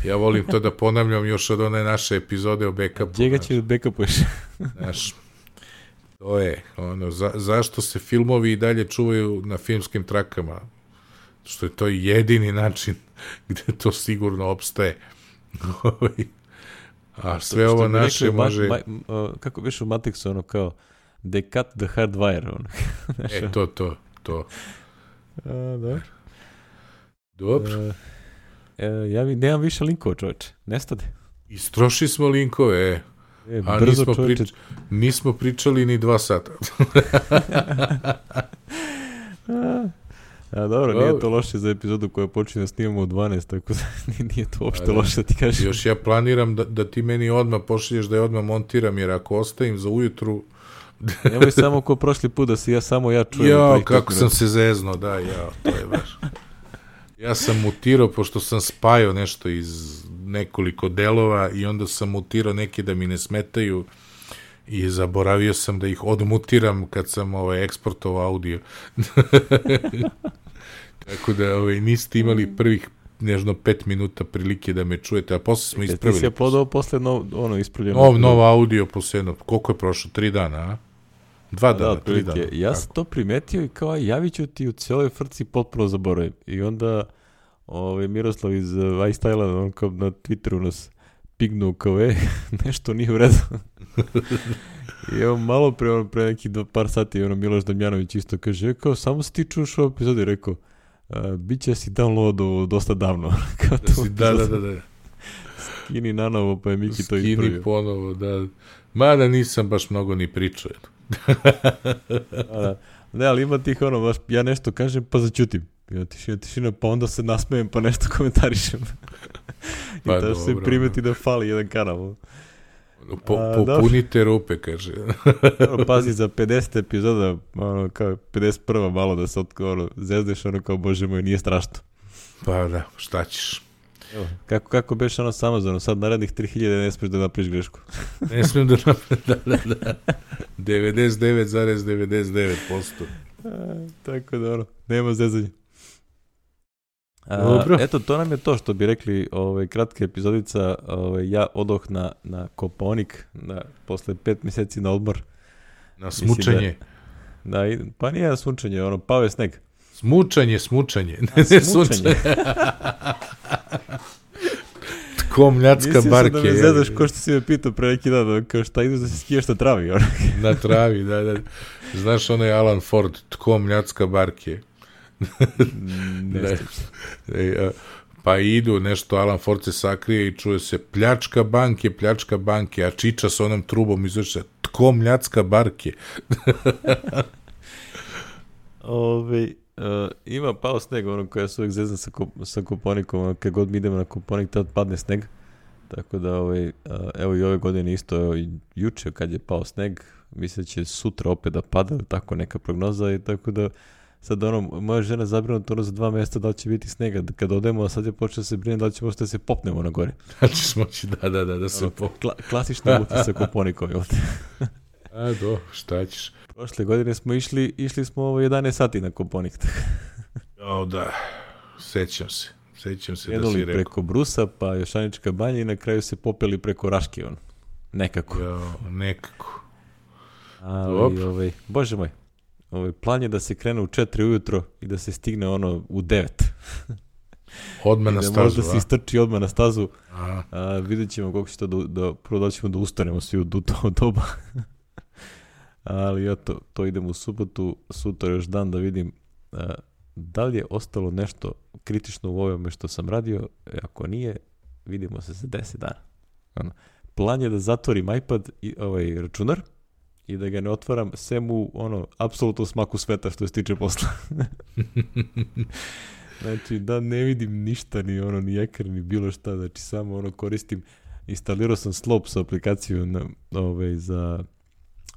Ja volim to da ponavljam još od one naše epizode o backupu. Čega će backupuješ? Znaš, to je, ono, za, zašto se filmovi i dalje čuvaju na filmskim trakama? Što je to jedini način gde to sigurno opstaje. A sve što, ovo što naše rekli, može... Ma, ma, uh, kako biš u Matrixu, ono kao they cut the hardwire, ono. E, to, to, to. A, dobro. Dobro. Uh, E, ja mi nemam više linkova, čoveče. Nestade. Istroši smo linkove, e. e a brzo, nismo, prič, nismo pričali ni dva sata. a, a, dobro, nije to loše za epizodu koja počne da snimamo u dvanaest, tako da nije to uopšte loše da ti kažem. Još ja planiram da, da ti meni odmah pošalješ da je odmah montiram, jer ako ostavim za ujutru... Nemoj samo ko prošli put da se ja samo ja čujem. Jo, kako sam se zezno, da, ja, to je baš... Ja sam mutirao, pošto sam spajao nešto iz nekoliko delova i onda sam mutirao neke da mi ne smetaju i zaboravio sam da ih odmutiram kad sam ovaj, eksportovao audio. Tako da ovaj, niste imali prvih nežno pet minuta prilike da me čujete, a posle smo ispravili. Ti si je podao posle nov, ono ispravljeno. Nov, nov audio posle jedno, koliko je prošlo? Tri dana, a? Dva dana, da, tri dana. Ja sam to primetio i kao javit ću ti u cijeloj frci potpuno zaboravim. I onda ovaj, Miroslav iz uh, iStyle-a on kao na Twitteru nas pignuo kao e, nešto nije u redu. I evo malo pre, ono, pre nekih dva, par sati ono, Miloš Damjanović isto kaže, kao samo si ti čuš u epizodi, rekao, bit će si downloadovo dosta davno. Kao da, si, da, da, da, da. Skini nanovo, pa je Miki to ispravio. Skini ponovo, da. Mada nisam baš mnogo ni pričao. da, ne, ali ima tih ono, baš, ja nešto kažem pa začutim. Ja tišina, tišina, pa onda se nasmejem pa nešto komentarišem. I pa da se primeti da fali jedan kanal. Po, popunite rupe, kaže. Pazi, za pedeset epizoda, ono, kao pedeset prva malo da se ono, zezdeš, ono kao, bože moj, nije strašno. Pa da, šta ćeš? Evo, kako, kako beš ono s Amazonom, sad narednih tri hiljade ne smiješ da napriš grešku. Ne smijem da napriš, da, da, da. devedeset devet zarez devedeset devet posto. Tako da, ono, nema zezanja. A, eto, to nam je to što bi rekli ovaj, kratka epizodica. Ovaj, ja odoh na, na Kopaonik na, posle pet mjeseci na odmor. Na smučanje. Da, da, pa nije na smučanje, ono, pao je sneg. Smučanje, smučanje. Ne, ne smučanje. Tko mljacka barke. Mislim da me zezaš ko što si me pitao pre neki dan, kao šta ideš da se skijaš na travi. Ono. Na travi, da, da. Znaš onaj Alan Ford, tko mljacka barke. ne, ne. E, pa idu, nešto Alan Ford se sakrije i čuje se pljačka banke, pljačka banke, a Čiča s onom trubom izaše, tko mljacka barke? Ove, uh, ima pao sneg, ono koja se uvijek zezna sa, ko, sa Koponikom, ono, kad god mi idemo na Koponik, tad padne sneg. Tako da, ovaj, uh, evo i ove godine isto, evo i juče kad je pao sneg, mislim da će sutra opet da pada, tako neka prognoza i tako da sad ono, moja žena zabrinuta ono za dva mjesta da li će biti snega kad odemo, a sad je počeo se brinuti da li će možda da se popnemo na gore. Da ćeš moći, da, da, da, da se ono, popnemo. Kla, klasična muta sa Koponikom. A do, šta ćeš? Prošle godine smo išli, išli smo ovo jedanaest sati na Koponik. O da, sećam se, sećam se Jeduli da si rekao. preko Brusa, pa Jošanička banja i na kraju se popeli preko Raške, ono. Nekako. Jo, nekako. Ali, ovaj, bože moj, ovaj, plan je da se krene u četiri ujutro i da se stigne ono u devet. Odmah na da stazu, možda a? se istrči odmah na stazu. A, a, vidjet ćemo koliko će to da, da prvo da ćemo da ustanemo svi u to doba. Ali eto, to idemo u subotu, sutra još dan da vidim a, da li je ostalo nešto kritično u ovome što sam radio. Ako nije, vidimo se za deset dana. Ano. Plan je da zatvorim iPad i ovaj računar i da ga ne otvaram sem u ono, apsolutno smaku sveta što se tiče posla. Znači, da ne vidim ništa, ni ono, ni ekran, ni bilo šta, znači samo ono koristim, instalirao sam Slopes aplikaciju na, ovaj, za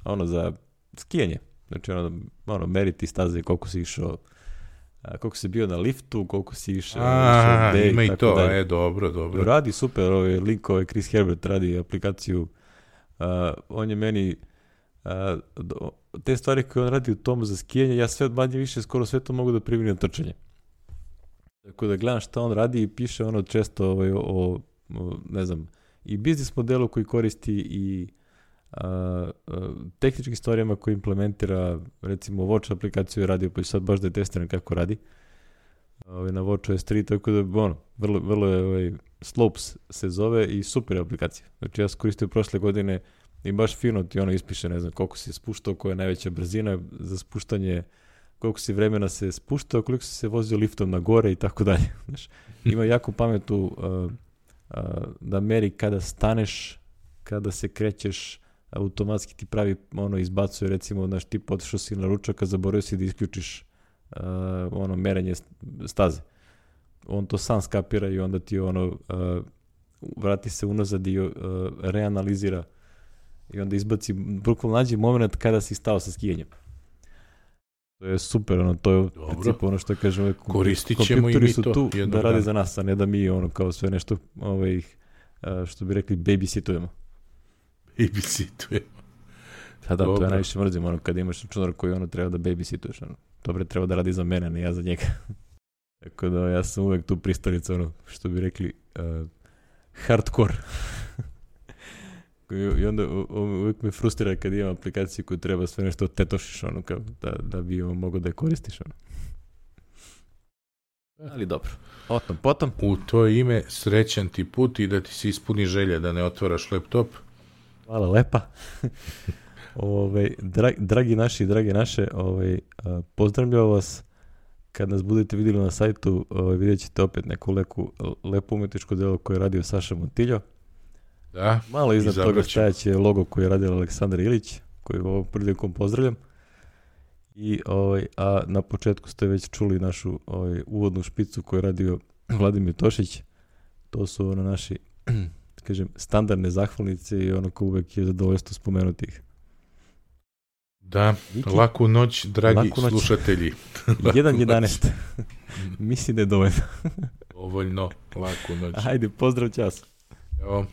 ono, za skijanje, znači ono, ono meriti staze koliko si išao, a, koliko si bio na liftu, koliko si išao, a, day, ima i to, dalje. e, dobro, dobro. Radi super, ovaj link, ovaj Chris Herbert radi aplikaciju, uh, on je meni uh, do, te stvari koje on radi u tomu za skijanje, ja sve manje više skoro sve to mogu da primjenim trčanje. Tako da gledam šta on radi i piše ono često ovaj, o, o, ne znam, i biznis modelu koji koristi i a, a, tehničkim stvarima koji implementira, recimo Watch aplikaciju je radio, pa sad baš da je testiram kako radi. Ovaj, na Watch O S tri, tako da ono, vrlo, vrlo je ovaj, Slopes se zove i super je aplikacija. Znači ja sam koristio prošle godine i baš fino ti ono ispiše, ne znam, koliko si spuštao, koja je najveća brzina za spuštanje, koliko si vremena se spuštao, koliko si se vozio liftom na gore i tako dalje. Znaš, ima jako pametu uh, uh, da meri kada staneš, kada se krećeš, automatski ti pravi, ono, izbacuje, recimo, znaš, ti potišao si na ručak, a zaboravio si da isključiš uh, ono, merenje staze. On to sam skapira i onda ti, ono, uh, vrati se unazad i uh, reanalizira i onda izbaci, bukvalno nađi moment kada si stao sa skijanjem. To je super, ono, to je u principu ono što kažem, uvijek, koristit ćemo i mi su to tu da rade dan. za nas, a ne da mi ono kao sve nešto, ovaj, što bi rekli, babysitujemo. Babysitujemo. Da, da, Dobro. to ja najviše mrzim, ono, kada imaš računar koji ono treba da babysituješ, ono, dobro, treba da radi za mene, a ne ja za njega. Tako da ja sam uvijek tu pristalica, ono, što bi rekli, uh, hardcore. I onda uvijek me frustrira kad imam aplikaciju koju treba sve nešto tetošiš, ono, kao da, da bi ovo mogo da je koristiš, ono. Ali dobro, otom potom. U to ime srećan ti put i da ti se ispuni želja da ne otvaraš laptop. Hvala lepa. Ove, dra, dragi naši, drage naše, ove, pozdravljam vas. Kad nas budete vidjeli na sajtu, ove, vidjet ćete opet neku leku, lepo umetničko delo koje je radio Saša Montiljo. Da, malo iznad toga stajaće logo koji je radio Aleksandar Ilić, koji ovom prilikom pozdravljam. I, ovaj, a na početku ste već čuli našu ovaj, uvodnu špicu koju je radio Vladimir Tošić. To su ono naši, kažem, standardne zahvalnice i ono ko uvek je zadovoljstvo spomenuti ih. Da, Viki, laku noć, dragi laku noć. Slušatelji. jedan jedanaest. Mislim da je dovoljno. Dovoljno, laku noć. Ajde, pozdrav, čas. Evo.